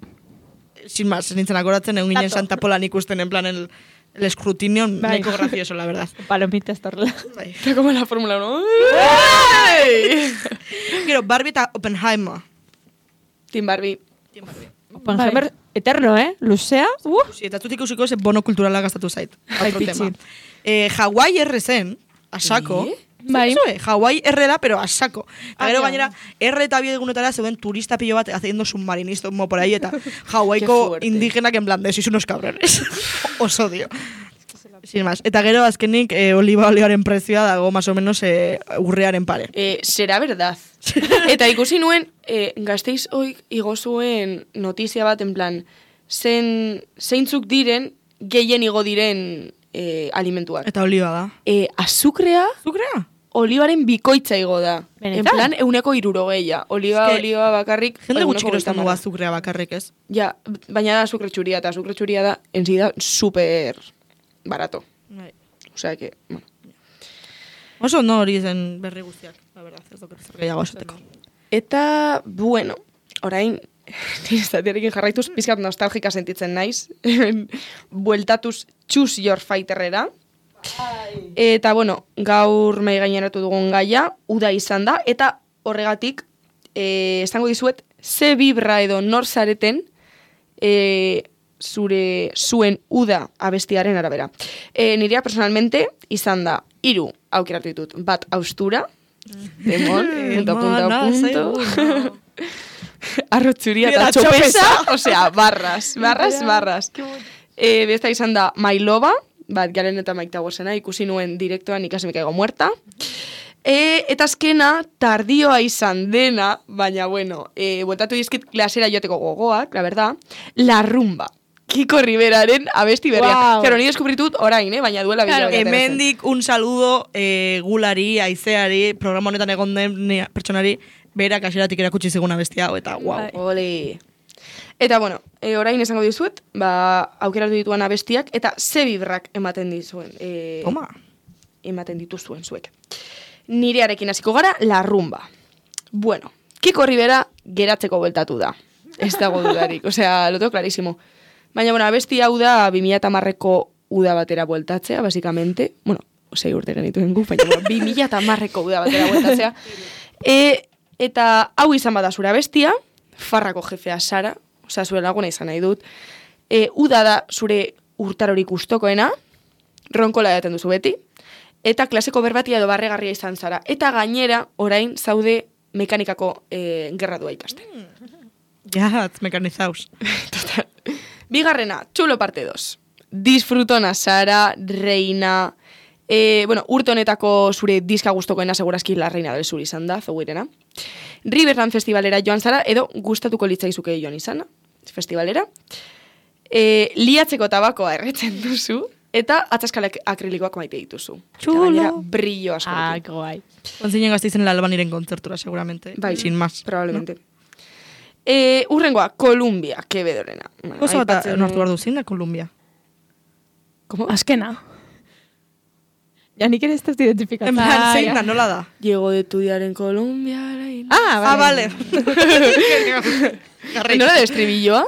A: Sin más, nintzen akoratzen, egun ginen Santa Polan ikusten en plan el escrutinio nahiko gracioso, la verdad.
C: Palomita estorla.
A: Bai.
B: Está como la Fórmula 1.
A: Gero, Barbie eta Oppenheimer.
B: Team Barbie.
C: Oppenheimer eterno, luzea.
A: Eta zutik ikusiko ese bono kulturala gastatu zait.
C: Bai,
A: Otro tema.
C: pitxin.
A: Hawaii R zen, asako.
E: Bai.
A: Hawaii R da, pero asako. Eta gero
C: ja.
A: gainera, R eta biegunetara zeuden turista pillo bat haciendo submarinista como por ahí, eta
B: Qué
A: Hawaiiko
B: fuerte.
A: indigenak en plan de, sois unos cabrones. Os odio. Sin más. Eta gero azkenik oliva oleoaren prezioa dago más o menos urrearen pare.
B: Será verdad. Eta ikusi nuen, Gasteiz hoik igo zuen notizia bat, en plan, zeintzuk diren, gehien igo diren alimentuak.
A: Eta oliva da.
B: Azukrea,
A: Zukrea?
B: olibaren bikoitza igo da.
C: Benetan?
B: En plan, 160. Oliva bakarrik.
A: Jende gutxi
B: 130.
A: erosten dugu azukrea bakarrik, ez?
B: Ja, baina da azukre txuria, eta azukre txuria da, enzi da, super barato.
A: Bai.
B: Osea, que, bueno.
A: Oso no hori zen berri guztiak, la verdad, ez doket zer gehiago esateko.
B: Eta, bueno, orain, estatiarekin jarraituz, pizkat nostalgika sentitzen naiz. Bueltatuz Choose Your Fighterrera. Eta, bueno, gaur mai gaineratu dugun gaia, uda izan da, eta horregatik, esango dizuet, ze vibra edo nor zareten, zuen uda abestiaren arabera. Nirea personalmente izan da 3 aukeratu ditut. Bat austura, demon, punto. Arrotzuria eta txopesa, osea, barras. Besta izan da Mailoba, bat Garen eta Mike Towersena, ikusi nuen direktoan ikasi me caigo muerta. Eta azkena, tardioa izan dena, baina bueno, bueltatu dizkit klasera joateko gogoak, la verdad, La Rumba. Kiko Riberaren abesti berria.
E: Wow.
B: Claro, ni deskubritut orain, baina duela
E: Claro,
B: bila.
A: Hemendik un saludo gulari, aizeari, programa honetan egon den pertsonari, berak aseratik erakutsi zigun abesti hau, eta guau.
E: Bai.
B: Ole. Eta, bueno, orain esango dizuet, aukeratu dituan abestiak, eta ze bibrak ematen dizuen.
A: Toma.
B: Ematen dituzuen zuek. Nirearekin hasiko gara, la rumba. Bueno, Kiko Rivera geratzeko bueltatu da. Ez dago dudarik, osea, lo tengo clarísimo. Baina, bueno, abesti hau da 2010ko uda batera bueltatzea, basicamente. Bueno, 6 urte genituen gu, baina, bueno, 2010ko uda batera bueltatzea. Eta hau izan bada zure abestia, farrako jefea Sara, osea, zure laguna izan nahi dut. Uda da zure urtarorik gustokoena, ronkola edaten duzu beti, eta klaseko berbatia edo barregarria izan zara. Eta gainera, orain, zaude mekanikako gerradua ikasten.
A: Ja, mekanizaus.
B: Total. Bigarrena, Txulo parte 2. Disfrutona Sara, reina... bueno, urte honetako zure diska gustokoena segurazki la reina del sur izan da, zegoirena. Riverland Festivalera joan zara, edo gustatuko litzaizuke joan izana, festivalera. Liatzeko tabakoa erretzen duzu, eta atzaskalek akrilikoak maite dituzu.
A: Chulo.
B: Gainera, brillo askorekin.
C: guai.
A: Ontzinen gazteizen la Albaniren kontzertura, seguramente.
B: Bai,
A: sin más.
B: probablemente. No? Urrengoa, Columbia, Quevedorena.
A: Oso bat nortu behar duzin da, Columbia.
B: ¿Cómo?
E: Azkena.
C: Ja, nik ere ez dut identifikatzen.
A: En plan, zein da, nola da?
B: Llego de estudiar en Colombia.
A: Vale.
B: ¿Nola de estribilloa?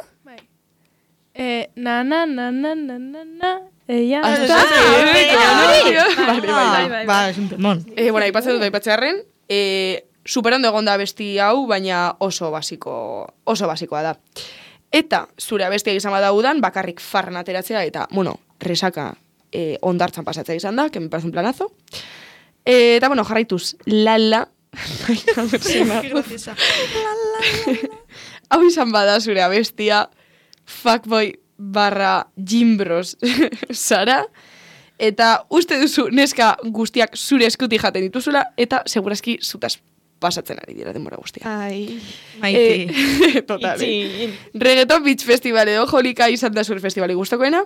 E: Na, na, na, na, na, na, na. Ella...
A: Ba, es un temón.
B: Bueno, aipatzen dut aipatzearren, superondo egon da abesti hau, baina oso basikoa da. Eta zure abestia izan bada udan, bakarrik farran ateratzea, eta, bueno, resaka ondartzan pasatzea izan da, que me parece un planazo. Eta, bueno, jarraituz, lala. Hau izan bada zure abestia, fuckboy barra Jimbros Sara, eta uste duzu neska guztiak zure eskuti jaten dituzula, eta segurazki zutaz pasatzen ari dira denbora guztia.
C: Ai,
A: maite.
B: Total. Reggaeton Beach Festival edo Jolika izan da zure festivali gustokoena,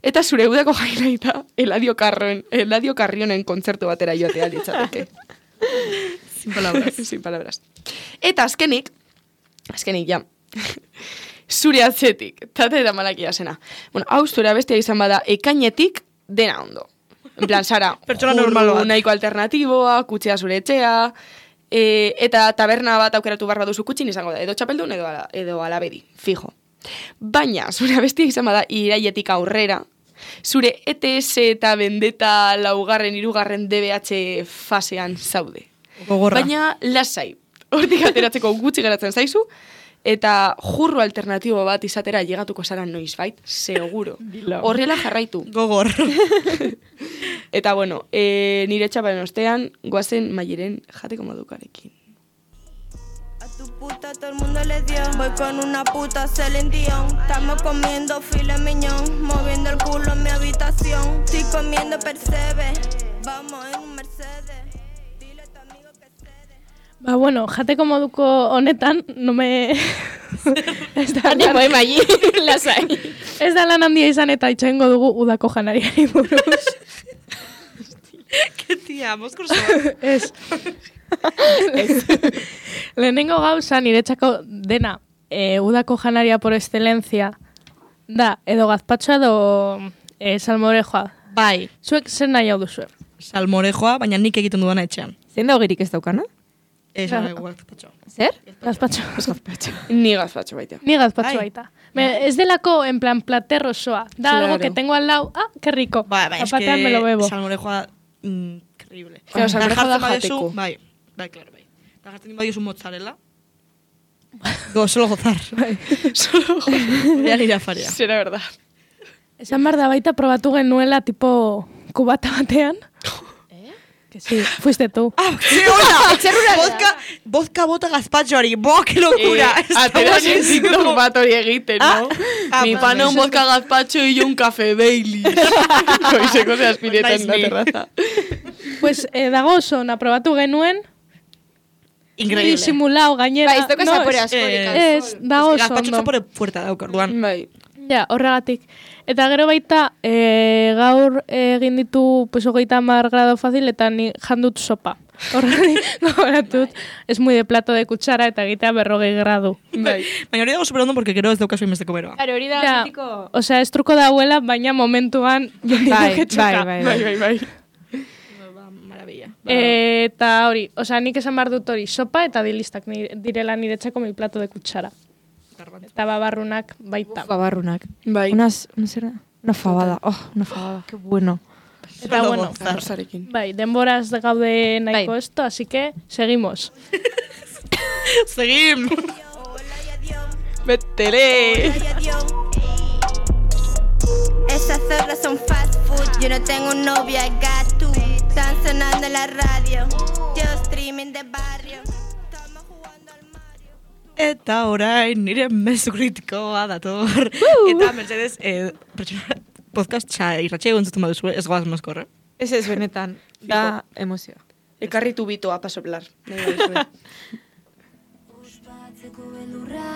B: eta zure udako highlighta Eladio Carrionen kontzertu batera joatea litzateke.
A: Sin palabras.
B: Sin palabras. Eta azkenik ja, zure atzetik, tate da malakia zena. Bueno, hau zure abestia izan bada ekainetik dena ondo. En plan, Sara,
A: pertsona normal bat.
B: Nahiko alternatiboa, kutxea zure etxea, eta taberna bat aukeratu barba duzu kutxin izango da, edo txapeldun edo alabedi, fijo. Baina, zure abestia izan bada iraietik aurrera, zure ETS eta Vendetta 2., 3. DBH fasean zaude.
A: Gogorra.
B: Baina, lasai, hortik ateratzeko gutxi geratzen zaizu, eta jurro alternatibo bat izatera llegatuko zara noizbait, seguro. Horrela jarraitu.
A: Gogor.
B: Eta, bueno, nire txaparen ostean, goazen Maieren jateko modukarekin.
H: A tu puta todo el mundo le dio. Voy con una puta Celine Dion. Estamos comiendo filet mignon, moviendo el culo en mi habitación. Estoy comiendo Percebe. Vamos en un Mercedes. Dile a tu amigo que cede.
E: Ba, bueno, jateko moduko honetan, no me... ez da
C: Animo emai, lasai.
E: Ez da lan handia izan eta itxoengo dugu udako janariari buruz.
A: Que tia, moskurso.
E: Ez. Lehenengo gauza niretzako dena udako janaria por excelencia da, edo gazpatxoa edo salmorejoa.
A: Bai.
E: Zuek zer nahi hau duzue?
A: Salmorejoa, baina nik egiten dudana etxean.
C: Zein da hogirik ez daukana?
A: Gazpatxo.
C: Zer?
E: Gazpatxo.
B: Ni gazpatxo baita.
E: Ni gazpatxo
A: Ai.
E: baita. Ez delako, en plan, plater osoa. Da
B: Claro.
E: algo que tengo al lado. Ah, qué rico.
A: Bai, es
E: Zapatean me lo bebo.
A: que salmorejoa increíble.
B: Claro, salmorejoa da
A: Jartzen baduzu,
B: jateko.
A: Bai, claro, bai. Eta jartzen badiozu mozzarella. Solo gozar.
B: Solo
A: Voy a ir a faria.
B: Será verdad.
E: Esan behar da baita probatu genuela tipo kubata batean. Que sí, fuiste tú.
A: Ah, sí, hola. Vodka bota gazpatxoari. Bo, qué locura.
B: Atera nintziktok bat hori egiten, no? Mi pana un vodka gazpacho y yo un café Baileys. Goizeko ze aspireta en la terraza.
E: Pues dago oso, probatu genuen.
A: Increíble.
E: Disimulao gainera.
C: Bai, ez doka zapore asko.
E: Ez, dago oso
A: Gazpatxo
E: ondo.
A: zapore fuerta dauk, orduan.
B: Bai.
E: Ja, horregatik. Eta gero baita, gaur egin ditu, pues, 30 grado fácil, eta ni jandut sopa. Horregatik, gogoratut, es muy de plato de kutsara, eta egitea 40 gradu.
A: Bai. Baina hori dago superondo, porque gero ez daukazu inbesteko beroa.
C: Claro, hori da mitiko...
E: Osea, ez truko dauela, baina momentuan jondiko ketxoka.
B: Bai.
A: Maravilla.
E: Eta hori, osea, nik esan behar dut hori, sopa eta dilistak direla niretzako mi plato de kutsara. Eta babarrunak baita.
C: Babarrunak.
B: Bai.
C: Una fabada. Una fabada. Qué bueno.
E: Eta bueno, bai, denboraz gaude nahiko esto, así que seguimos.
A: Seguim!
B: ¡Métele!
H: Esas zorras son fast food, yo no tengo novia, gato. Están sonando en la radio, yo streaming de barrio. Estamos jugando al Mario.
A: Eta orain nire mezu kritikoa dator. Eta Mercedes, podcast irratxe egon zuten baduzu, ez goaz mozkorre.
C: Ez benetan, da emozioa.
B: Ekarritu bitoa pa soplar.
G: Ospatzeko beldurra,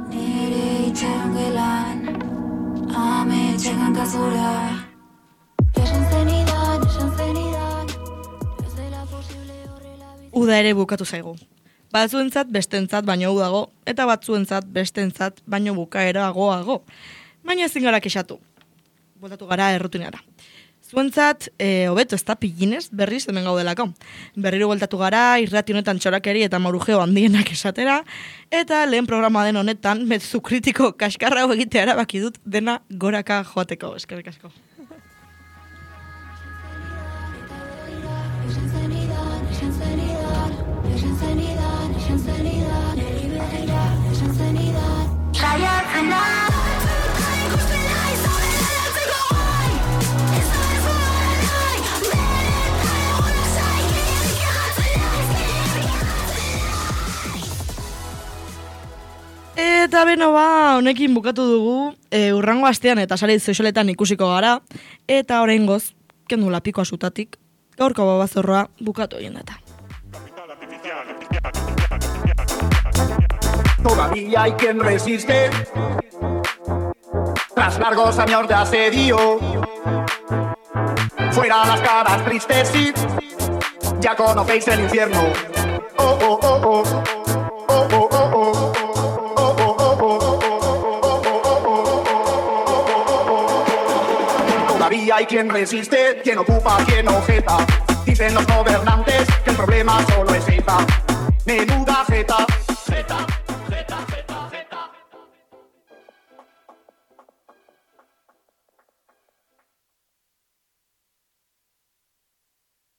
G: nire itxaron gelan, ame txekan kazura. Esan zenidan, ez dela posible horrela bizi.
A: Uda ere bukatu zaigu. Batzuentzat bestentzat baino udago, eta batzuentzat bestentzat baino bukaeragoago. Baina ezin gara kexatu. Bueltatu gara errutinara. Zuentzat, hobeto ez da piginez, berriz hemen gaudelako. Berriro bueltatu gara, irrati honetan txorakeri eta marujeo handienak esatera, eta lehen programa den honetan, mezu kritiko kaskarra egitea erabaki dut dena goraka joateko. Eskerrik asko. Eta beno honekin bukatu dugu, urrango astean eta sare sozialetan ikusiko gara, eta oraingoz, kendu lapikoa zutatik, gaurko babazorroa bukatu egin data.
I: Todavía hay quien resiste tras largos años de asedio. Fuera las caras tristes, sí, ya conocéis el infierno. Oh, oh, oh, oh. Oh, oh, oh, oh. Todavía hay quien resiste, quien ocupa, quien objeta. Dicen los gobernantes que el problema solo es ETA. Menuda jeta.